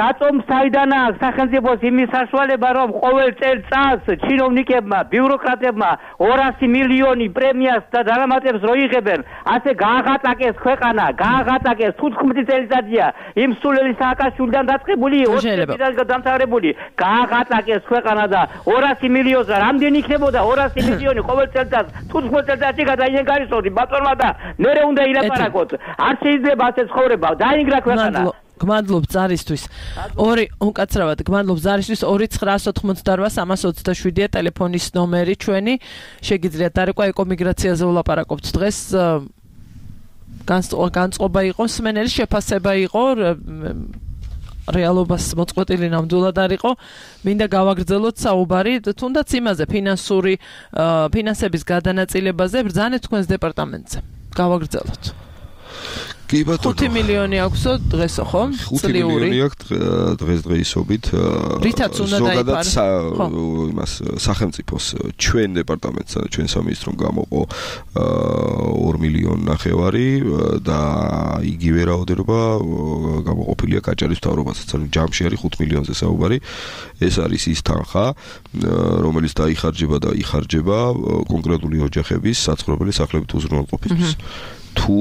რატომ საიდან აქვს სახელმწიფოს იმის საშუალება, რომ ყოველ წელიწადს ჩინოვნიკებმა, ბიუროკრატებმა ორასი მილიონი პრემიას და დანამატებს რო იღებენ, ასე გააღატაკ გააღატაკეს ქვეყანა, გააღატაკეს თუთხმეტი წელიწადია იმ სულელი სააკაშვილიდან დაწყებული ოცი წელიწადიდან დამთავრებული, გააღატაკეს ქვეყანა და ორასი მილიონზე რამდენი იქნებოდა ორასი მილიონი ყოველ წელიწადს თუთხმეტ წელიწადში გადაინგარისოდი ბატონმა და მერე უნდა ილაპარაკოთ. არ შეიძლება ასე ცხოვრება, დაინგრა ქვეყანა. გმადლობ ზარისთვის. ორი უკაცრავად გმადლობ ზარისთვის ორი ცხრაას ოთხმოცდაოთხ სამას ოცდაშვიდია ტელეფონის ნომერი ჩვენი. შეგიძლიათ დარეკვა ეკომიგრაციაზე ვლაპარაკობთ დღეს. განწყობა იყო სმენელი შეფასება იყო რეალობას მოწყვეტილი ნამდვილად არ იყო. მინდა გავაგრძელოთ საუბარი თუნდაც იმაზე ფინანსური ფინანსების გადანაწილებაზე ბრძანეთ თქვენს დეპარტამენტზე. გავაგრძელოთ. კი ბატონო. ხუთი მილიონი აქვსო დღესო ხო? ხუთი მილიონი აქვს დღეს დღეისობით. რითაც უნდა ზოგადად იმას სახელმწიფოს ჩვენ დეპარტამენტს ჩვენ სამინისტრომ გამოყო ორი მილიონი ნახევარი და იგივე რაოდენობა გამოყოფილია გაჭარის მთავრობასაც. ანუ ჯამში არის ხუთ მილიონზე საუბარი. ეს არის ის თანხა, რომელიც დაიხარჯება და იხარჯება კონკრეტული ოჯახების საცხოვრებელი სახლებით უზრუნველყოფისთვის. თუ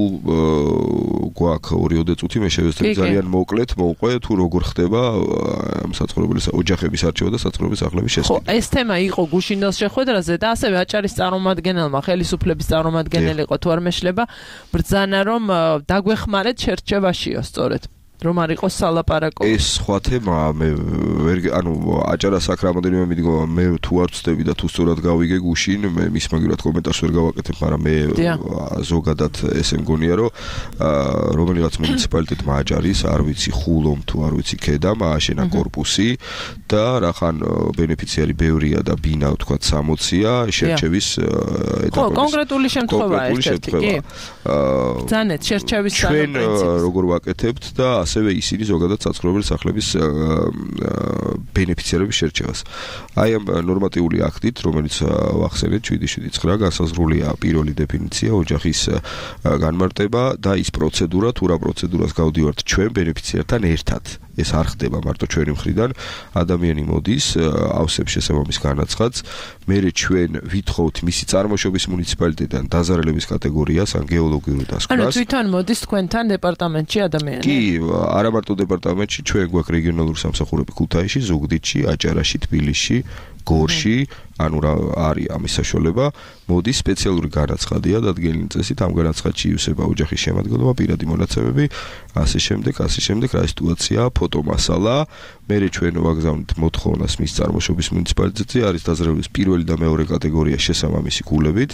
გვაქვს ორიოდე წუთი მე შევეცდები ძალიან მოკლედ მოვყვე თუ როგორ ხდება საცხოვრებელი ოჯახების არჩევა და საცხოვრებელი სახლების შესყიდვა. ხო, ეს თემა იყო გუშინდელს შეხვედრაზე და ასევე აჭარის წარმომადგენელმა ხელისუფლების წარმომადგენელი იყო თუ არ მეშლება ბრძანა რომ დაგვეხმარეთ შერჩევაშიო სწორედ. რომ არ იყოს სალაპარაკო. ეს სხვა თემაა, მე ვერ ანუ აჭარას აქ რამოდენიმე მიდგომა, მე თუ არ ვწდები და თუ სწორად გავიგე გუშინ, მე მის მაგივრად კომენტარს ვერ გავაკეთებ, მაგრამ მე ზოგადად ესე მგონია, რომ რომელიღაც მუნიციპალიტეტმა აჭარის, არ ვიცი ხულომ თუ არ ვიცი ქედამ, ააშენა კორპუსი და რახან ბენეფიციარი ბევრია და ბინა თქვა სამოცია შერჩევის ეტაპზე. ხო, კონკრეტული შემთხვევაა ერთ-ერთი, კი. ბრძანეთ შერჩევის ჩვენ როგორ ვაკეთებთ და ასევე ისინი ზოგადად საცხოვრებელი სახლების ბენეფიციარების შერჩევას. აი ამ ნორმატიული აქტით, რომელიც ვახსენეთ შვიდი შვიდი ცხრა განსაზღვრულია პირველი დეფინიცია ოჯახის განმარტება და ის პროცედურა, თუ რა პროცედურას გავდივართ ჩვენ ბენეფიციართან ერთად. ეს არ ხდება მარტო ჩვენი მხრიდან. ადამიანი მოდის, ავსებს შესაბამის განაცხადს, მერე ჩვენ ვითხოვთ მისი წარმოშობის მუნიციპალიტეტიდან დაზარალების კატეგორიას ან გეოლოგიურ დასკვნას. ანუ თვითონ მოდის თქვენთან დეპარტამენტში ადამიანი? კი, არა მარტო დეპარტამენტში, ჩვენ გვაქვს რეგიონალური სამსახურები ქუთაისში, ზუგდიდში, აჭარაში, თბილისში, გორში, ანუ რა არის ამის საშუალება, მოდის სპეციალური განაცხადია დადგენილი წესით, ამ განაცხადში ივსება ოჯახის შემადგენლობა, პირადი მონაცემები, ასე შემდეგ, ასე შემდეგ, რა სიტუაციაა, ფოტომასალა, მერე ჩვენ ვაგზავნით მოთხოვნას მის წარმოშობის მუნიციპალიტეტზე, არის დაზრების პირველი და მეორე კატეგორია შესაბამისი კულებით,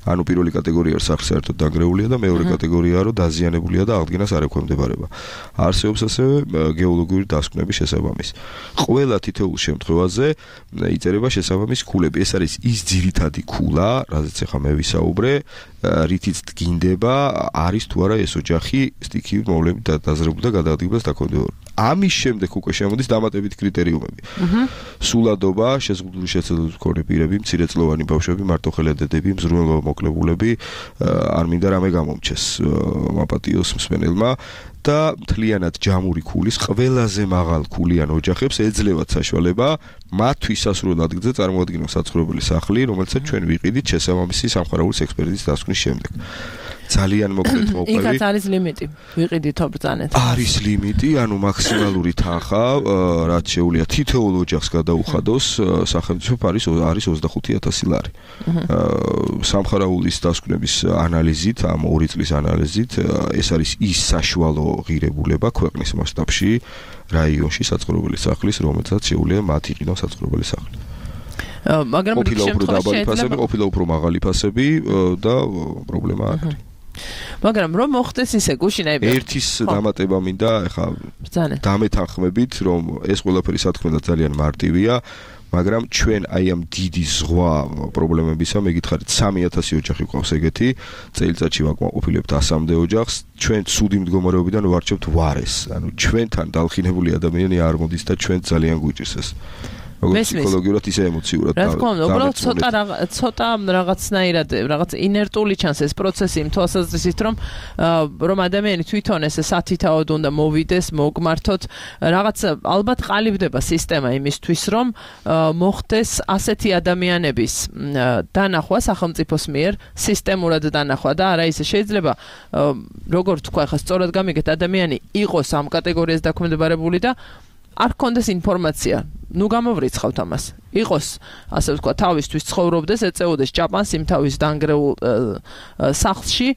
ანუ პირველი კატეგორია სახლს საერთოდ დანგრეულია და მეორე კატეგორიაა რომ დაზიანებულია და აღდგენას არ ექვემდებარება. არსებობს ასევე გეოლოგიური დასკვნების შესაბამისი. ყველა თითოეულ შემთხვევაზე იწერება შესაბამისი კულები. ეს არის ის ძირითადი კულა, რაზეც ახლა მე ვისაუბრე, რითიც დგინდება, არის თუ არა ეს ოჯახი სტიქიურ მოვლენით დაზრებული და გადაადგილებას დაკავებული. ამის შემდეგ უკვე შემოდის დამატებითი კრიტერიუმები. სულადობა, შეზღუდული შეცდომების მქონე პირები, მცირეწლოვანი ბავშვები, მარტოხელედები, მზრუნველობა მოკლებულები, არ მინდა რამე გამომჩეს მაპატიოს მსმენელმა. და მთლიანად ჯამური ქულის ყველაზე მაღალ ქულიან ოჯახებს ეძლევათ საშუალება მათთვის სასურველ ადგილზე წარმოადგინონ საცხოვრებელი სახლი, რომელსაც ჩვენ ვიყიდით შესაბამისი სამხარაულის ექსპერტიზის დასკვნის შემდეგ. ძალიან მოკლედ მოვყვები. იქაც არის ლიმიტი. ვიყიდითო ბრძანეთ. არის ლიმიტი, ანუ მაქსიმალური თანხა, რაც შეუძლია თითოეულ ოჯახს გადაუხადოს, სახელმწიფო არის არის ოცდახუთი ათასი ლარი. სამხარაულის დასკვნების ანალიზით, ამ ორი წლის ანალიზით, ეს არის ის საშუალო ღირებულება ქვეყნის მასშტაბში რაიონში საცხოვრებელი სახლის, რომელსაც შეუძლია მათ იყიდონ საცხოვრებელი სახლი. მაგრამ ყოფილა უფრო დაბალი ფასები, ყოფილა უფრო მაღალი ფასები და პრობლემა არ არის. მაგრამ რომ მოხდეს ისე გუშინაები ერთის დამატება მინდა, ეხა დამეთანხმებით, რომ ეს ყველაფერი სათქმელად ძალიან მარტივია, მაგრამ ჩვენ აი ამ დიდი ზღვა პრობლემებისა მეკითხარით სამი ათასი ოჯახი ყავს ეგეთი, წელიწადში ვაკმაყოფილებთ ასამდე ოჯახს, ჩვენ ცუდი მდგომარეობიდან ვარჩევთ ვარეს. ანუ ჩვენთან დალხინებული ადამიანი არ მოდის და ჩვენ ძალიან გვიჭირს ეს. როგორც ფსიქოლოგიურად ისე ემოციურად. რა თქმა უნდა, უბრალოდ ცოტა ცოტა რაღაცნაირად რაღაც ინერტული ჩანს ეს პროცესი იმ თვალსაზრისით, რომ რომ ადამიანი თვითონ ესე სათითაოდ უნდა მოვიდეს, მოგმართოთ, რაღაც ალბათ ყალიბდება სისტემა იმისთვის, რომ მოხდეს ასეთი ადამიანების დანახვა სახელმწიფოს მიერ, სისტემურად დანახვა და არა ისე შეიძლება როგორ თქვა ხა სწორად გამიგეთ ადამიანი იყოს ამ კატეგორიას დაქვემდებარებული და არ ქონდეს ინფორმაცია. ნუ გამოვრიცხავთ ამას. იყოს, ასე ვთქვა, თავისთვის ცხოვრობდეს, ეწეოდეს ჭაპანს იმ თავის დანგრეულ სახლში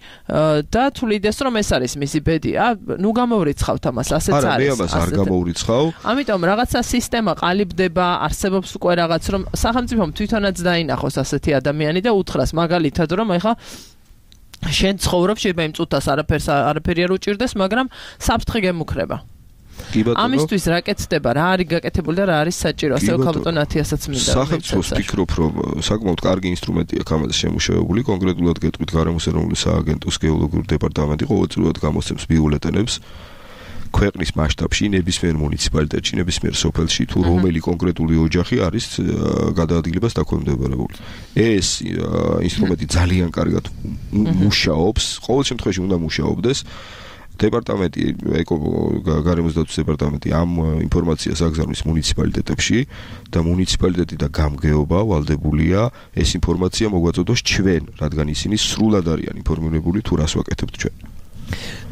და თulides რომ ეს არის მისი ბედი. ნუ გამოვრიცხავთ ამას, ასეც არის. არა, მე ამას არ გამოვრიცხავ. ამიტომ რაღაცა სისტემა ყალიბდება, არსებობს უკვე რაღაც, რომ სახელმწიფომ თვითონაც დაინახოს ასეთი ადამიანი და უთხრას მაგალითად, რომ ეხა შენ ცხოვრობ, შეიძლება იმ წუთას არაფერს არაფერი არ უჭირდეს, მაგრამ საფრთხე გემუქრება. ამისთვის რა კეთდება, რა არის გაკეთებული და რა არის საჭირო, ასე ვქალბატონ ათიასაც მინდა. სახელმწიფოს ვფიქრობ, რომ საკმაოდ კარგი ინსტრუმენტი აქვს ამაზე შემუშავებული, კონკრეტულად გეტყვით გარემოს ეროვნული სააგენტოს გეოლოგიური დეპარტამენტი ყოველწლიურად გამოსცემს ბიულეტენებს ქვეყნის მასშტაბში, ნებისმიერ მუნიციპალიტეტში, ნებისმიერ სოფელში თუ რომელი კონკრეტული ოჯახი არის გადაადგილებას დაქვემდებარებული. ეს ინსტრუმენტი ძალიან კარგად მუშაობს, ყოველ შემთხვევაში უნდა მუშაობდეს. დეპარტამენტი ეკო გარემოს დაცვის დეპარტამენტი ამ ინფორმაციას აგზავნის მუნიციპალიტეტებში და მუნიციპალიტეტი და გამგეობა ვალდებულია ეს ინფორმაცია მოგვაწოდოს ჩვენ, რადგან ისინი სრულად არიან ინფორმირებული თუ რას ვაკეთებთ ჩვენ.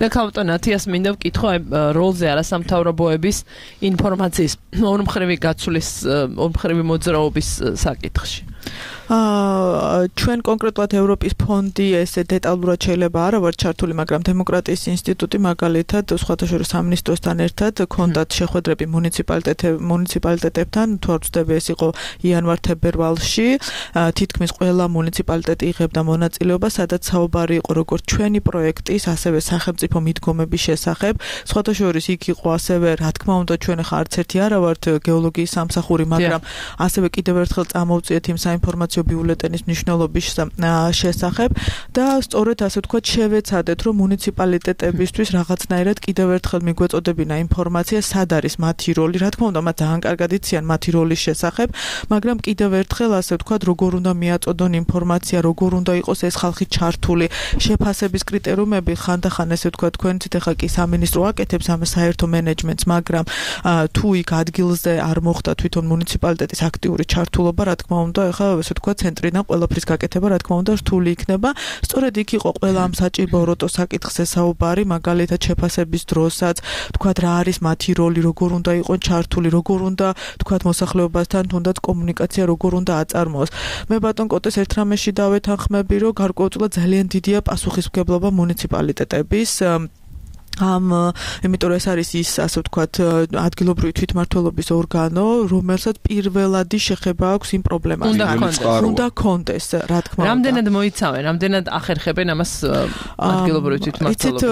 და ქალბატონ ათიას მინდა ვკითხო როლზე არასამთავრობოების ინფორმაციის ორმხრივი გაცვლის, ორმხრივი მოძრაობის საკითხში. აა ჩვენ კონკრეტულად ევროპის ფონდი ესე დეტალურად შეიძლება არა ვარ ჩართული, მაგრამ დემოკრატიის ინსტიტუტი მაგალითად სხვათა შორის სამინისტროსთან ერთად ქონდათ შეხვედრები მუნიციპალიტეტებთან, თუ არ ვცდები ეს იყო იანვარ-თებერვალში, თითქმის ყველა მუნიციპალიტეტი იღებდა მონაწილეობას, სადაც საუბარი იყო როგორც ჩვენი პროექტის, ასევე სახელმწიფო მიდგომების შესახებ. სხვათა შორის იქ იყო ასევე, რა თქმა უნდა, ჩვენ ხა არც ერთი არა ვართ გეოლოგიის სამსახური, მაგრამ ასევე კიდევ ერთხელ წამოვწიეთ იმ საინფორმაციო ბიულეტენის მნიშვნელობის შესახებ და სწორედ ასე ვთქვათ შევეცადეთ, რომ მუნიციპალიტეტებისთვის რაღაცნაირად კიდევ ერთხელ მიგვეწოდებინა ინფორმაცია, სად არის მათი როლი. რა თქმა უნდა, მათ ძალიან კარგად იციან მათი როლის შესახებ, მაგრამ კიდევ ერთხელ ასე ვთქვათ, როგორ უნდა მიაწოდონ ინფორმაცია, როგორ უნდა იყოს ეს ხალხი ჩართული, შეფასების კრიტერიუმები ხანდახან ესე ვთქვათ, თქვენით ეხა კი სამინისტრო აკეთებს ამ საერთო მენეჯმენტს, მაგრამ თუ იქ ადგილზე არ მოხდა თვითონ მუნიციპალიტეტის აქტიური ჩართულობა, რა თქმა უნდა, ეხა ესე ვთქვათ ცენტრიდან ყველაფრის გაკეთება, რა თქმა უნდა, რთული იქნება. სწორედ იქ იყო ყველა ამ საჭიროებო საკითხზე საუბარი, მაგალითად შეფასების დროსაც, ვთქვათ, რა არის მათი როლი, როგორ უნდა იყოს ჩართული, როგორ უნდა, ვთქვათ, მოსახლეობასთან თუნდაც კომუნიკაცია როგორ უნდა აწარმოოს. მე ბატონ კოტეს ერთ რამეში დავეთანხმები, რომ გარკვეულწილად ძალიან დიდია პასუხისმგებლობა მუნიციპალიტეტების ამ იმიტომ რომ ეს არის ის ასე ვთქვათ ადგილობრივი თვითმმართველობის ორგანო, რომელსაც პირველადი შეხება აქვს იმ პრობლემასთან. უნდა კონდეს, რა თქმა უნდა. რამდენად მოიცავენ, რამდენად ახერხებენ ამას ადგილობრივი თვითმმართველობის? იცით,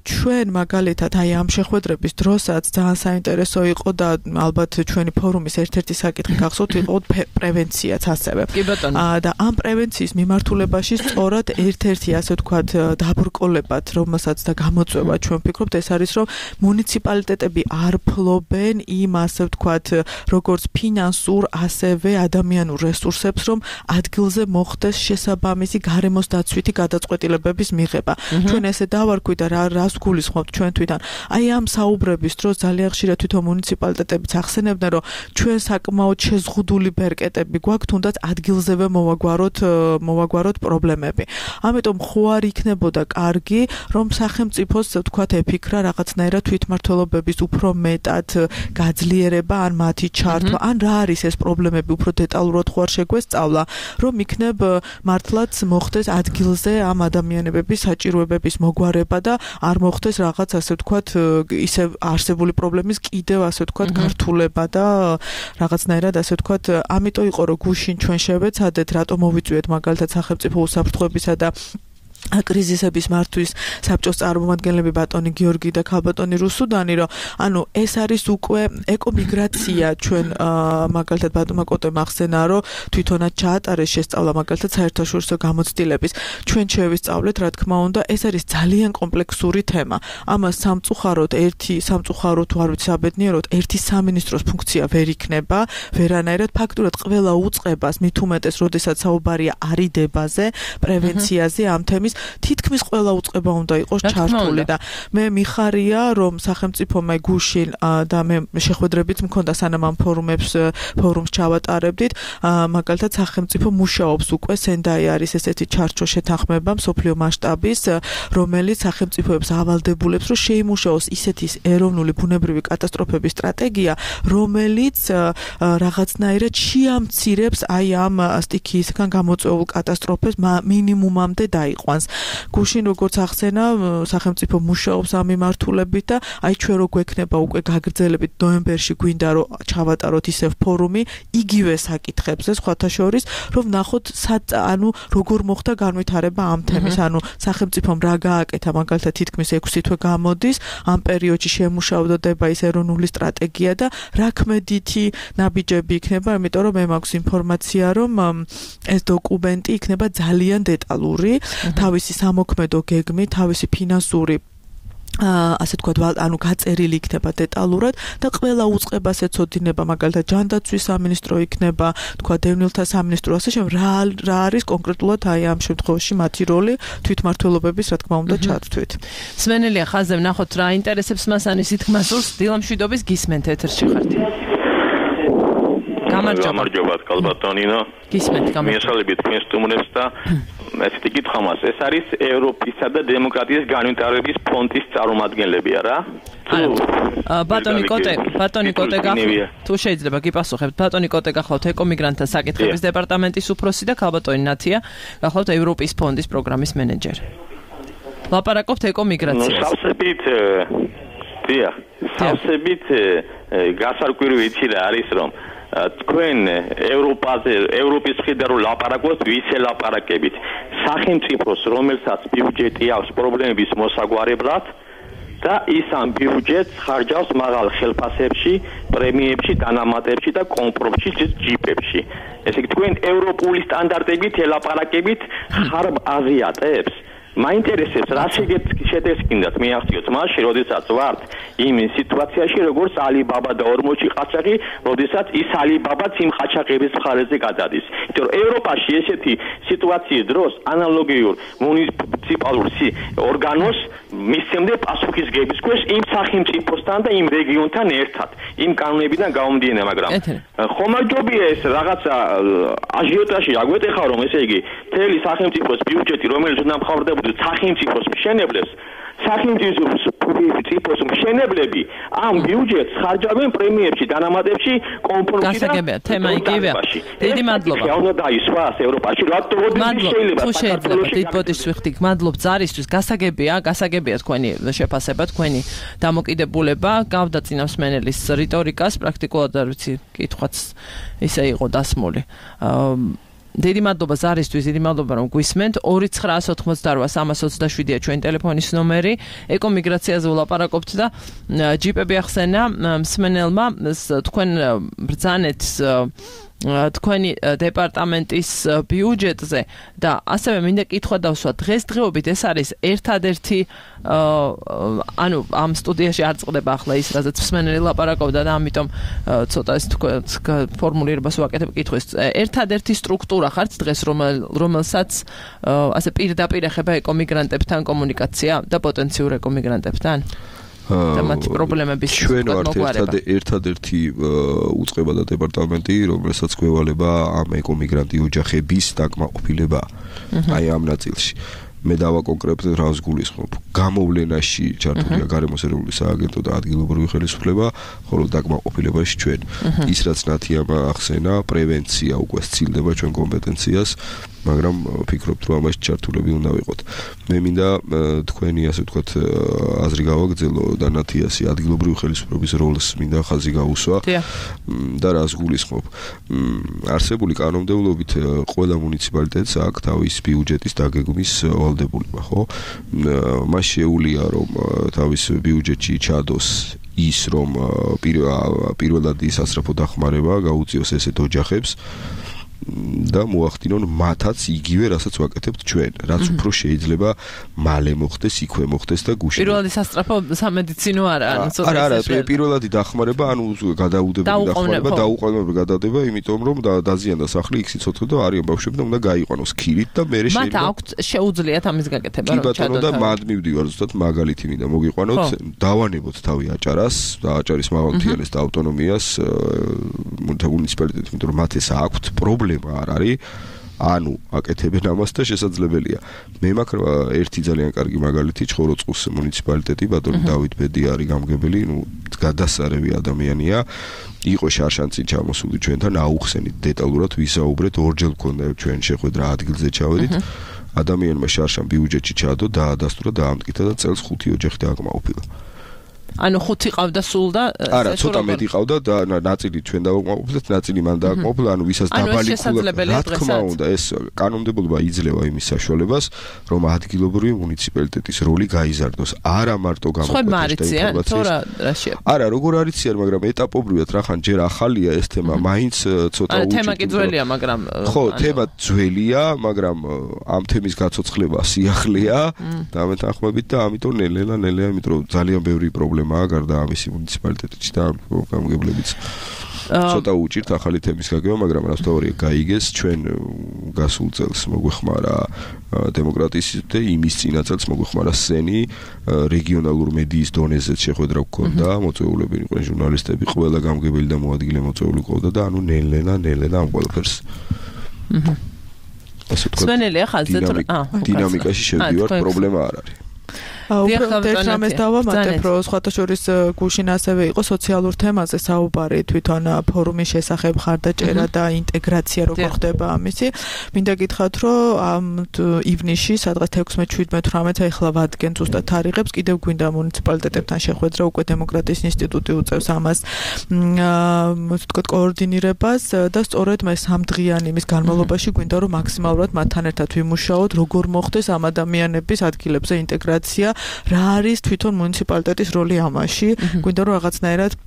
ჩვენ მაგალითად აი ამ შეხვედრების დროსაც ძალიან საინტერესო იყო და ალბათ ჩვენი ფორუმის ერთ-ერთი საკითხი გახსოვთ იყო პრევენციაც ასევე. კი ბატონო. და ამ პრევენციის მიმართულებაში სწორად ერთ-ერთი ასე ვთქვათ დაბრკოლებად, რომელსაც და გამოწვევა ჩვენ ვფიქრობთ, ეს არის, რომ მუნიციპალიტეტები არ ფლობენ იმ ასე ვთქვათ, როგორც ფინანსურ, ასევე ადამიანურ რესურსებს, რომ ადგილზე მოხდეს შესაბამისი გარემოს დაცვითი გადაწყვეტილებების მიღება. ჩვენ ესე დავარქვით და რა რას გულისხმობთ ჩვენ თვითონ. აი ამ საუბრების დროს ძალიან ხშირად თვითონ მუნიციპალიტეტებიც ახსენებდნენ, რომ ჩვენ საკმაოდ შეზღუდული ბერკეტები გვაქვს, თუნდაც ადგილზევე მოვაგვაროთ მოვაგვაროთ პრობლემები. ამიტომ ხო არ იქნებოდა კარგი, რომ სახელმწიფოს ვთქვათ ეფიქრა რაღაცნაირად თვითმმართველობების უფრო მეტად გაძლიერება, ან მათი ჩართვა, ან რა არის ეს პრობლემები უფრო დეტალურად ხო არ შეგვესწავლა, რომ იქნებ მართლაც მოხდეს ადგილზე ამ ადამიანების საჭიროებების მოგვარება და არ მოხდეს რაღაც ასე ვთქვათ ისე არსებული პრობლემის კიდევ ასე ვთქვათ გართულება და რაღაცნაირად ასე ვთქვათ, ამიტომ იყო რომ გუშინ ჩვენ შევეცადეთ, რატომ მოვიწვიეთ მაგალითად სახელმწიფო უსაფრთხოებისა და კრიზისების მართვის საბჭოს წარმომადგენლები ბატონი გიორგი და ქალბატონი რუსუდანი, რომ ანუ ეს არის უკვე ეკომიგრაცია ჩვენ მაგალითად ბატონმა კოტე მახსენა, რომ თვითონაც ჩაატარეს შესწავლა მაგალითად საერთაშორისო გამოცდილების. ჩვენ შევისწავლეთ, რა თქმა უნდა, ეს არის ძალიან კომპლექსური თემა. ამას სამწუხაროდ ერთი სამწუხაროდ თუ არ ვიცი საბედნიეროდ ერთი სამინისტროს ფუნქცია ვერ იქნება, ვერანაირად ფაქტურად ყველა უწყებას მით უმეტეს, როდესაც საუბარია არიდებაზე, პრევენციაზე ამ თემის თითქმის ყველა უწყება უნდა იყოს ჩართული და მე მიხარია რომ სახელმწიფო მე გუშინ და მე შეხვედრებით მქონდა სანამ ამ ფორუმებს ფორუმს ჩავატარებდით მაგალითად სახელმწიფო მუშაობს უკვე სენდაი არის ესეთი ჩარჩო შეთანხმება მსოფლიო მასშტაბის რომელიც სახელმწიფოებს ავალდებულებს რომ შეიმუშაოს ისეთი ეროვნული ბუნებრივი კატასტროფების სტრატეგია რომელიც რაღაცნაირად შეამცირებს აი ამ სტიქიისგან გამოწვეულ კატასტროფებს მინიმუმამდე დაიყვანს. გუშინ როგორც ახსენა სახელმწიფო მუშაობს ამ მიმართულებით და აი ჩვენ რო გვექნება უკვე გაგრძელებით ნოემბერში გვინდა რომ ჩავატაროთ ისევ ფორუმი იგივე საკითხებზე სხვათა შორის რომ ნახოთ ანუ როგორ მოხდა განვითარება ამ თემის ანუ სახელმწიფომ რა გააკეთა მაგალითად თითქმის ექვსი თვე გამოდის ამ პერიოდში შემუშავდება ის ეროვნული სტრატეგია და რა ქმედითი ნაბიჯები იქნება იმიტომ რომ მე მაქვს ინფორმაცია რომ ეს დოკუმენტი იქნება ძალიან დეტალური თავისი სამოქმედო გეგმი, თავისი ფინანსური ასე თქვა ანუ გაწერილი იქნება დეტალურად და ყველა უწყებას ეცოდინება მაგალითად ჯანდაცვის სამინისტრო იქნება თქვა დევნილთა სამინისტრო ასე შემ რა რა არის კონკრეტულად აი ამ შემთხვევაში მათი როლი თვითმმართველობების რა თქმა უნდა ჩართვით. სმენელია ხაზზე ვნახოთ რა ინტერესებს მას ანის ითქმას სურს დილამშვიდობის გისმენთ ეთერში ხართ. გამარჯობა კალბატონინო. გისმენთ გამარჯობა. მიესალმებით თქვენს სტუმრებს და ესეთი კითხვა მას ეს არის ევროპისა და დემოკრატიის განვითარების ფონდის წარმომადგენლებია რა? ბატონი კოტე, ბატონი კოტე გახლავთ. თუ შეიძლება გიპასუხებთ, ბატონი კოტე გახლავთ ეკომიგრანტთა საკითხების დეპარტამენტის უფროსი და ქალბატონი ნათია გახლავთ ევროპის ფონდის პროგრამის მენეჯერი. ლაპარაკობთ ეკომიგრაციაზე. სავსებით დიახ, სავსებით გასარკვირი იცი რა არის რომ თქვენ ევროპაზე ევროპის მხრიდან რომ ლაპარაკობთ ვისე ლაპარაკებით სახელმწიფოს რომელსაც ბიუჯეტი აქვს პრობლემების მოსაგვარებლად და ის ამ ბიუჯეტს ხარჯავს მაღალ ხელფასებში, პრემიებში, დანამატებში და კომპრომში ჯიპებში. ესე იგი თქვენ ევროპული სტანდარტებით ელაპარაკებით ხარბ აზიატებს მაინტერესებს რა შეგეცკინდათ მე ახციოთ მაშინ როდესაც ვართ იმ სიტუაციაში როგორც ალიბაბა და ორმოჩი ყაჩაღი როდესაც ის ალიბაბაც იმ ყაჩაღების მხარეზე გადადის იმიტომ რომ ევროპაში ესეთი სიტუაციის დროს ანალოგიურ მუნიციპალურ ორგანოს მისცემდა პასუხისგების ქვეშ იმ სახელმწიფოსთან და იმ რეგიონთან ერთად იმ კანონებიდან გამომდინარე მაგრამ ხომალჯობია ეს რაღაცა აჟიოტაჟი აგვეტეხა რომ ესე იგი მთელი სახელმწიფოს ბიუჯეტი რომელიც უნდა მთავრდებოდა სახელმწიფოს მშენებლებს სახელმწიფოს მშენებლები ამ ბიუჯეტს ხარჯავენ პრემიებში, დანამატებში, კომპრომისში და გასაგებია, თემა იგივეა. დიდი მადლობა. უნდა დაისვას ევროპაში, რატო შეიძლება თუ შეიძლება დიდბოდის ვიხდი, მადლობ ზარისთვის, გასაგებია, გასაგებია თქვენი შეფასება, თქვენი დამოკიდებულება, გავდა წინასმენელის რიტორიკას, პრაქტიკულად არ ვიცი, კითხვაც ისე იყო დასმული. დიდი მადლობა ზარისთვის, დიდი მადლობა რომ გვისმენთ. ორი ცხრაას ოთხმოცდაოთხ სამას ოცდაშვიდია ჩვენი ტელეფონის ნომერი. ეკომიგრაციაზე ვლაპარაკობთ და ჯიპები ახსენა მსმენელმა თქვენ ბრძანეთ თქვენი დეპარტამენტის ბიუჯეტზე და ასევე მინდა კითხვა დავსვა დღესდღეობით ეს არის ერთადერთი ანუ ამ სტუდიაში არ წყდება ახლა ის რაზეც მსმენელი ლაპარაკობდა და ამიტომ ცოტა ეს ფორმულირებას ვაკეთებ კითხვის ერთადერთი სტრუქტურა ხართ დღეს რომელსაც ასე პირდაპირ ეხება ეკომიგრანტებთან კომუნიკაცია და პოტენციურ ეკომიგრანტებთან და მათი პრობლემების ჩვენ ვართ ერთადერთი უწყება და დეპარტამენტი, რომელსაც გვევალება ამ ეკომიგრანტი ოჯახების დაკმაყოფილება აი ამ ნაწილში. მე დავაკონკრეტებ რას გულისხმობ. გამოვლენაში ჩართულია გარემოს ეროვნული სააგენტო და ადგილობრივი ხელისუფლება, ხოლო დაკმაყოფილებაში ჩვენ. ის რაც ნათიამ ახსენა, პრევენცია უკვე სცილდება ჩვენ კომპეტენციას. მაგრამ ვფიქრობთ რომ ამაში ჩართულები უნდა ვიყოთ. მე მინდა თქვენი ასე ვთქვათ აზრი გავაგრძელო და ნათიასი ადგილობრივი ხელისუფლების როლს მინდა ხაზი გაუსვა და რას გულისხმობ. არსებული კანონმდებლობით ყველა მუნიციპალიტეტს აქვს თავის ბიუჯეტის დაგეგმვის ვალდებულება, ხო? მას შეუძლია რომ თავის ბიუჯეტში ჩადოს ის რომ პირველად ისასწრაფო დახმარება გაუწიოს ესეთ ოჯახებს და მოახდინონ მათაც იგივე რასაც ვაკეთებთ ჩვენ, რაც უფრო შეიძლება მალე მოხდეს, იქვე მოხდეს და გუშინ. პირველადი სასწრაფო სამედიცინო არა, ანუ ცოტა არა, არა, პირველადი დახმარება, ანუ გადაუდებელი დახმარება, დაუყოვნებლივ გადადება, იმიტომ რომ დაზიანდა სახლი, იქ სიცოცხლე და არიან ბავშვები და უნდა გაიყვანოს ქირით და მე შეიძლება. მათ აქვთ შეუძლიათ ამის გაკეთება, რომ ჩადოთ. კი ბატონო და მად მივდივარ ზუსტად მაგალითი მინდა მოგიყვანოთ, დავანებოთ თავი აჭარას და აჭარის მაღალმთიანეს და ავტონომიას მუნიციპალიტეტს, იმიტომ რომ მათ ეს აქვთ პრობლემა არ არის, ანუ აკეთებენ ამას და შესაძლებელია. მე მაქვს ერთი ძალიან კარგი მაგალითი, ჩხოროწყუს მუნიციპალიტეტი, ბატონი დავით ბედი არის გამგებელი, ნუ გადასარევი ადამიანია. იყო შარშანწინ ჩამოსული ჩვენთან, აუხსენით დეტალურად ვისაუბრეთ, ორჯერ გქონდა ჩვენ შეხვედრა ადგილზე ჩავედით. ადამიანმა შარშან ბიუჯეტში ჩაადო, დაადასტურა, დაამტკიცა და წელს ხუთი ოჯახი დააკმაყოფილა. ანუ ხუთი ყავდა სულ და არა, ცოტა მეტი ყავდა და ნაწილი ჩვენ დავაკმაყოფილეთ, ნაწილი მან დააკმაყოფილა, ანუ ვისაც დაბალი ქულა, რა თქმა უნდა, ეს კანონმდებლობა იძლევა იმის საშუალებას, რომ ადგილობრივი მუნიციპალიტეტის როლი გაიზარდოს. არა მარტო გამოკვეთილ ინფორმაციას. არა, როგორ არიციან, მაგრამ ეტაპობრივად რახან ჯერ ახალია ეს თემა, მაინც ცოტა უჭირდება. თემა კი ძველია, მაგრამ ხო, თემა ძველია, მაგრამ ამ თემის გაცოცხლება სიახლეა და მეთანხმებით და ამიტომ ნელ-ნელა, ნელ-ნელა, იმიტომ რომ ძალიან ბევრი პრობლემა გარდა ამისი მუნიციპალიტეტში და გამგებლებიც ცოტა უჭირთ ახალი თემის გაგება, მაგრამ რასთავარია გაიგეს ჩვენ გასულ წელს მოგვეხმარა დემოკრატიის და იმის წინა წელს მოგვეხმარა სენი რეგიონალურ მედიის დონეზე შეხვედრა გქონდა, მოწვეულები იყვნენ ჟურნალისტები, ყველა გამგებელი და მოადგილე მოწვეული ყავდა და ანუ ნელ-ნელა, ნელ-ნელა ამ ყველაფერს ასე ვთქვათ სვენელია ხალხზე დინამიკაში შევდივართ, პრობლემა არ არის. უბრალოდ ერთ რამეს დავამატებ, რომ სხვათა შორის გუშინ ასევე იყო სოციალურ თემაზე საუბარი, თვითონ ფორუმის შესახებ ხარდაჭერა და ინტეგრაცია როგორ ხდება ამისი. მინდა გითხრათ, რომ ამ ივნისში, სადღაც ექვსმეტ, შვიდმეტ, თვრამეტ ახლა ვადგენ ზუსტად თარიღებს, კიდევ გვინდა მუნიციპალიტეტებთან შეხვედრა, უკვე დემოკრატიის ინსტიტუტი უწევს ამას, ასე ვთქვათ, კოორდინირებას და სწორედ მე სამდღიანი იმის განმავლობაში გვინდა რომ მაქსიმალურად მათთან ერთად ვიმუშაოთ, როგორ მოხდეს ამ ადამიანების ადგილებზე ინტეგრაცია. რა არის თვითონ მუნიციპალიტეტის როლი ამაში? გვინდა რომ რაღაცნაირად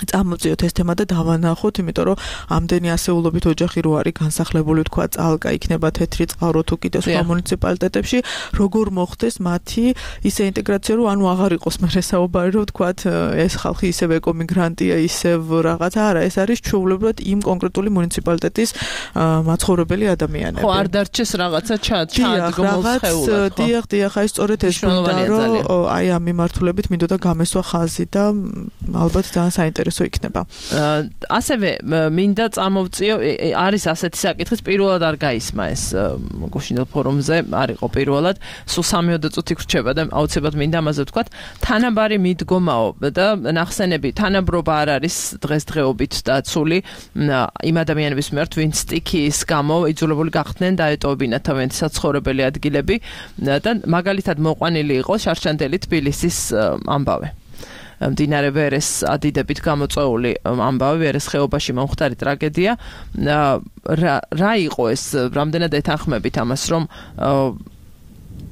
წამოწიოთ ეს თემა და დავანახოთ, იმიტომ რომ ამდენი ასეულობით ოჯახი რო არის განსახლებული, თქვა წალკა იქნება თეთრი წყარო თუ კიდე სხვა მუნიციპალიტეტებში, როგორ მოხდეს მათი ისე ინტეგრაცია, რომ ანუ აღარ იყოს მერე საუბარი, რომ თქვა ეს ხალხი ისევ ეკომიგრანტია, ისევ რაღაცა, არა, ეს არის ჩვეულებრივად იმ კონკრეტული მუნიციპალიტეტის მაცხოვრებელი ადამიანები. ხო, არ დარჩეს რაღაცა ჩაადგმულ სხეულად, ხო? დიახ, დიახ, აი სწორედ ეს გვინდა, რომ აი ამ მიმართულებით მინდოდა გამესვა ხაზი და ალბათ ძალიან საინტერესო იქნება. ასევე მინდა წამოვწიო, არის ასეთი საკითხიც, პირველად არ გაისმა ეს გუშინდელ ფორუმზე, არ იყო პირველად, სულ სამიოდე წუთი გრჩება და აუცილებლად მინდა ამაზე ვთქვათ, თანაბარი მიდგომაო და ნახსენები, თანაბრობა არ არის დღესდღეობით დაცული იმ ადამიანების მიმართ, ვინც სტიქიის გამო იძულებული გახდნენ დაეტოვებინათ თავიანთი საცხოვრებელი ადგილები და მაგალითად მოყვანილი იყო შარშანდელი თბილისის ამბავი. მდინარე ვერეს ადიდებით გამოწვეული ამბავი, ვერეს ხეობაში მომხდარი ტრაგედია. რა იყო ეს, რამდენად ეთანხმებით ამას, რომ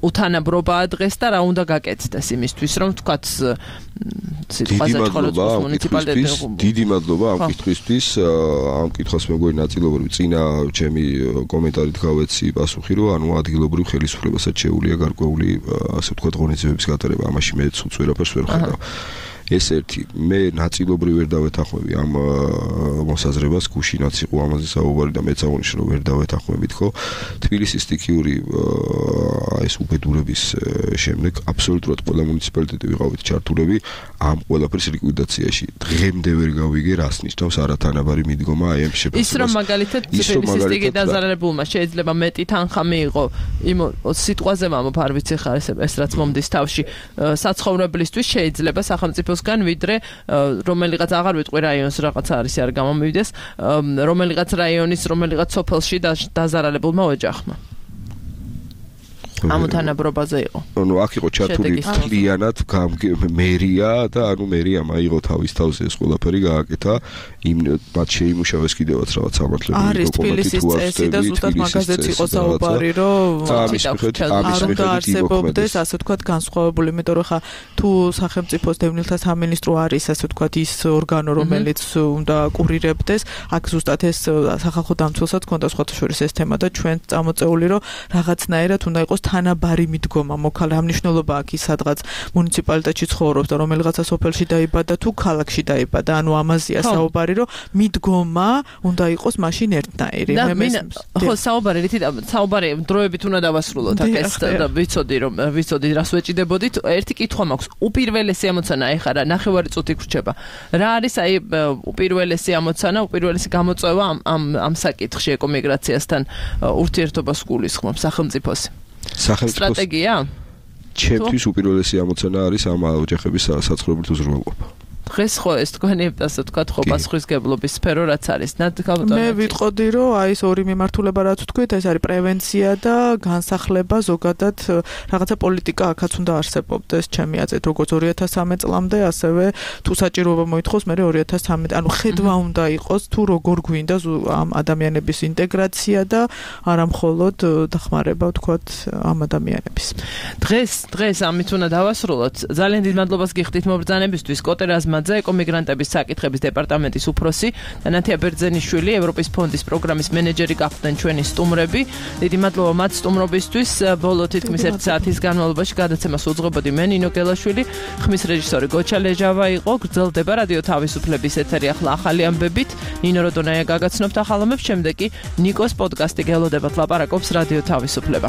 უთანაბრობაა დღეს და რა უნდა გაკეთდეს იმისთვის, რომ თქვათ სიტყვაზე ჩხოროწყუს მუნიციპალიტეტი. დიდი მადლობა ამ კითხვისთვის, ამ კითხვას მეგობრი ნაწილობრივ წინა ჩემი კომენტარით გავეცი პასუხი, რომ ანუ ადგილობრივ ხელისუფლებასაც შეუძლია გარკვეული ასე ვთქვათ ღონისძიებების გატარება, ამაში მე ცუც ვერაფერს ვერ ხედავ. ეს ერთი, მე ნაწილობრივ ვერ დავეთანხმები ამ მოსაზრებას, გუშინაც იყო ამაზე საუბარი და მეც აღნიშნე რომ ვერ დავეთანხმებით, ხო? თბილისის სტიქიური ეს უბედურების შემდეგ აბსოლუტურად ყველა მუნიციპალიტეტი ვიყავით ჩართულები ამ ყველაფრის ლიკვიდაციაში. დღემდე ვერ გავიგე რას ნიშნავს არათანაბარი მიდგომა აი ამ შეფასებას. ის რომ მაგალითად თბილისის სტიქი დაზარალებულმა შეიძლება მეტი თანხა მიიღო იმ სიტყვაზე მამობ არ ვიცი ხარ ეს რაც მომდის თავში საცხოვრებლისთვის შეიძლება სახელმწიფოს საქართველოსგან, ვიდრე რომელიღაც აღარ ვიტყვი რაიონს რაღაცა არის არ გამომივიდეს, რომელიღაც რაიონის რომელიღაც სოფელში დაზარალებულმა ოჯახმა. ამოთანაბრობაზე იყო. ანუ აქ იყო ჩართული მთლიანად მერია და ანუ მერია მაიღო თავის თავზე ეს ყველაფერი გააკეთა, იმ მათ შეიმუშავეს კიდევაც რაღაც სამართლებრივი არის თბილისის წესი და ზუსტად მაგაზეც იყო საუბარი, რომ არ უნდა არსებობდეს ასე ვთქვათ განსხვავებული, იმიტომ რომ ხა თუ სახელმწიფოს დევნილთა სამინისტრო არის ასე ვთქვათ ის ორგანო, რომელიც უნდა კურირებდეს, აქ ზუსტად ეს სახალხო დამცველსაც ქონდა სხვათა შორის ეს თემა და ჩვენ წამოწეული რომ რაღაცნაირად უნდა იყოს თანაბარი მიდგომა მოქალ რა მნიშვნელობა აქვს ის სადღაც მუნიციპალიტეტში ცხოვრობს და რომელიღაცა სოფელში დაიბადა თუ ქალაქში დაიბადა, ანუ ამაზეა საუბარი, რომ მიდგომა უნდა იყოს მაშინ ერთნაირი. მე ხო საუბარი რითი საუბარი დროებით უნდა დავასრულოთ აქ ეს ვიცოდი რომ ვიცოდი რას ვეჭიდებოდით. ერთი კითხვა მაქვს, უპირველესი ამოცანა ეხლა რა ნახევარი წუთი გრჩება. რა არის აი უპირველესი ამოცანა, უპირველესი გამოწვევა ამ ამ ამ საკითხში ეკომიგრაციასთან ურთიერთობას გულისხმობს სახელმწიფოს? სტრატეგია? ჩემთვის უპირველესი ამოცანა არის ამ ოჯახების საცხოვრებელით უზრუნველყოფა. დღეს ხო ეს თქვენი ასე ვთქვათ ხო პასუხისგებლობის სფერო რაც არის. მე ვიტყოდი რომ აი ეს ორი მიმართულება რაც ვთქვით, ეს არის პრევენცია და განსახლება, ზოგადად რაღაცა პოლიტიკა აქაც უნდა არსებობდეს ჩემი აზრით, როგორც ორი ათას სამი წლამდე, ასევე თუ საჭიროება მოითხოვს მე ორი ათას სამი, ანუ ხედვა უნდა იყოს თუ როგორ გვინდა ამ ადამიანების ინტეგრაცია და არა მხოლოდ დახმარება ვთქვათ ამ ადამიანების. დღეს დღეს ამით უნდა დავასრულოთ. ძალიან დიდ მადლობას გიხდით მობრძანებისთვის. კოტერაზმა ეკომიგრანტების საკითხების დეპარტამენტის უფროსი და ნათია ბერძენიშვილი, ევროპის ფონდის პროგრამის მენეჯერი გახდნენ ჩვენი სტუმრები. დიდი მადლობა მათ სტუმრობისთვის. ბოლო თითქმის ერთი საათის განმავლობაში გადაცემას უძღვებოდი მე ნინო გელაშვილი, ხმის რეჟისორი გოჩა ლეჟავა იყო. გრძელდება რადიო თავისუფლების ეთერი ახლა ახალი ამბებით. ნინო როდონაია გაგაცნობთ ახალ ამბებს, შემდეგ კი ნიკოს პოდკასტი გელოდებათ ლაპარაკობს რადიო თავისუფლება.